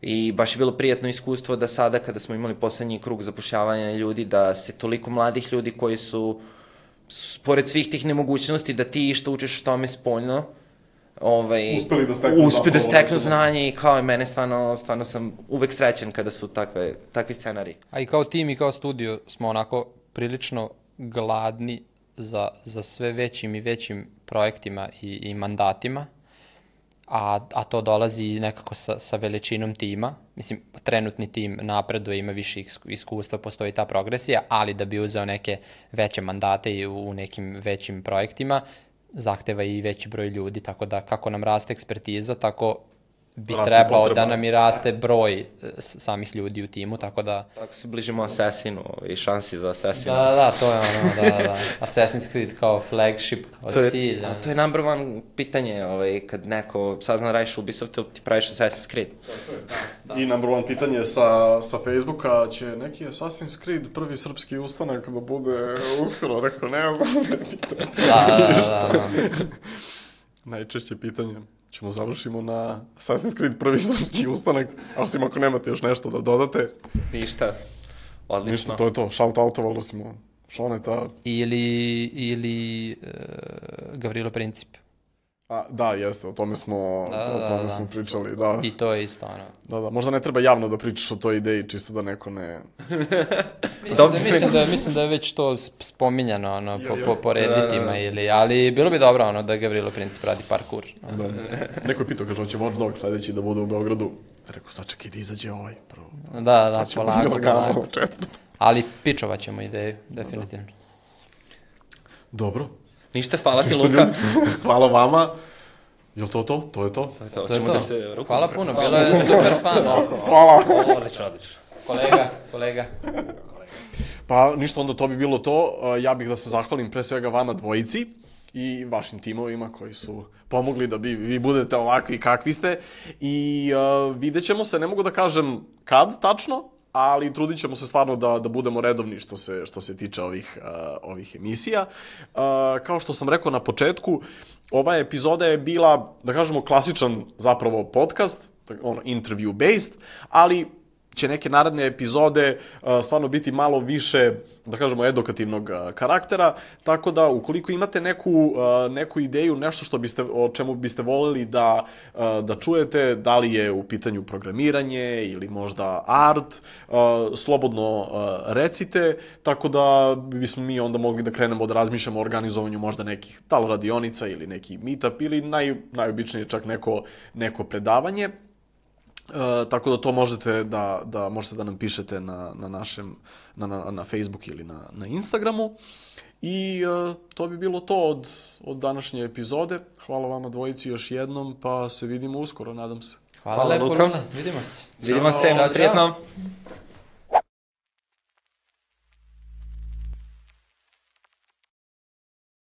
i baš je bilo prijatno iskustvo da sada kada smo imali poslednji krug zapošljavanja ljudi, da se toliko mladih ljudi koji su pored svih tih nemogućnosti da ti što učiš o tome spoljno, uspeli da steknu znanje i kao i mene stvarno sam uvek srećan kada su takvi scenari. A i kao tim i kao studio smo onako prilično gladni za sve većim i većim projektima i mandatima, a to dolazi nekako sa veličinom tima. Mislim, trenutni tim napreduje, ima više iskustva, postoji ta progresija, ali da bi uzeo neke veće mandate i u nekim većim projektima, zahteva i veći broj ljudi, tako da kako nam raste ekspertiza, tako bi trebao da nam i raste broj samih ljudi u timu, tako da... Tako se bližimo Assassinu i šansi za Assassinu. Da, to je da. Assassin's Creed kao flagship, kao cilj. To je number one pitanje, kad neko sazna radiš Ubisoftu, ti praviš Assassin's Creed. I number one pitanje sa Facebooka, će neki Assassin's Creed prvi srpski ustanak da bude uskoro, rekao, ne znam, ne pitam. Da. Najčešće pitanje. Ćemo završimo na Assassin's Creed prvi srpski ustanak, osim ako nemate još nešto da dodate. Ništa, odlično. Ništa, to je to, shout-outovali smo Šoneta. Ili Gavrilo Princip. Da, jeste, o tome smo pričali, da. I to je isto, Da, možda ne treba javno da pričaš o toj ideji, čisto da neko ne... Mislim da je već to spominjano, po redditima ali bilo bi dobro, da Gavrilo Princip radi parkour. Neko je pitao, kaže, hoće Watch Dogs sledeći da bude u Beogradu. Rekao, sačekaj da izađe ovaj prvo. Da, polako. Ali pičovat ćemo ideju, definitivno. Dobro. Ništa, hvala ti, Luka. Hvala vama. Je li to? To je to? To je to. Hvala puno, bilo je super fan. Hvala. Odlično. Kolega. Pa ništa, onda to bi bilo to. Ja bih da se zahvalim pre svega vama dvojici i vašim timovima koji su pomogli da vi budete ovakvi kakvi ste. I vidjet ćemo se, ne mogu da kažem kad tačno, ali trudit ćemo se stvarno da budemo redovni što se tiče ovih emisija. Kao što sam rekao na početku, ova epizoda je bila, da kažemo, klasičan zapravo podcast, interview based, ali će neke naredne epizode stvarno biti malo više, da kažemo, edukativnog karaktera, tako da ukoliko imate neku ideju, nešto o čemu biste voljeli da čujete, da li je u pitanju programiranje ili možda art, slobodno recite, tako da bismo mi onda mogli da krenemo da razmišljamo o organizovanju možda nekih radionica ili neki meetup ili najobičnije čak neko predavanje. Tako da to možete da nam pišete na našem, na Facebook ili na Instagramu. I to bi bilo to od današnje epizode. Hvala vama dvojici još jednom, pa se vidimo uskoro, nadam se. Hvala lepo, Luna. Vidimo se. Vidimo se, prijetno.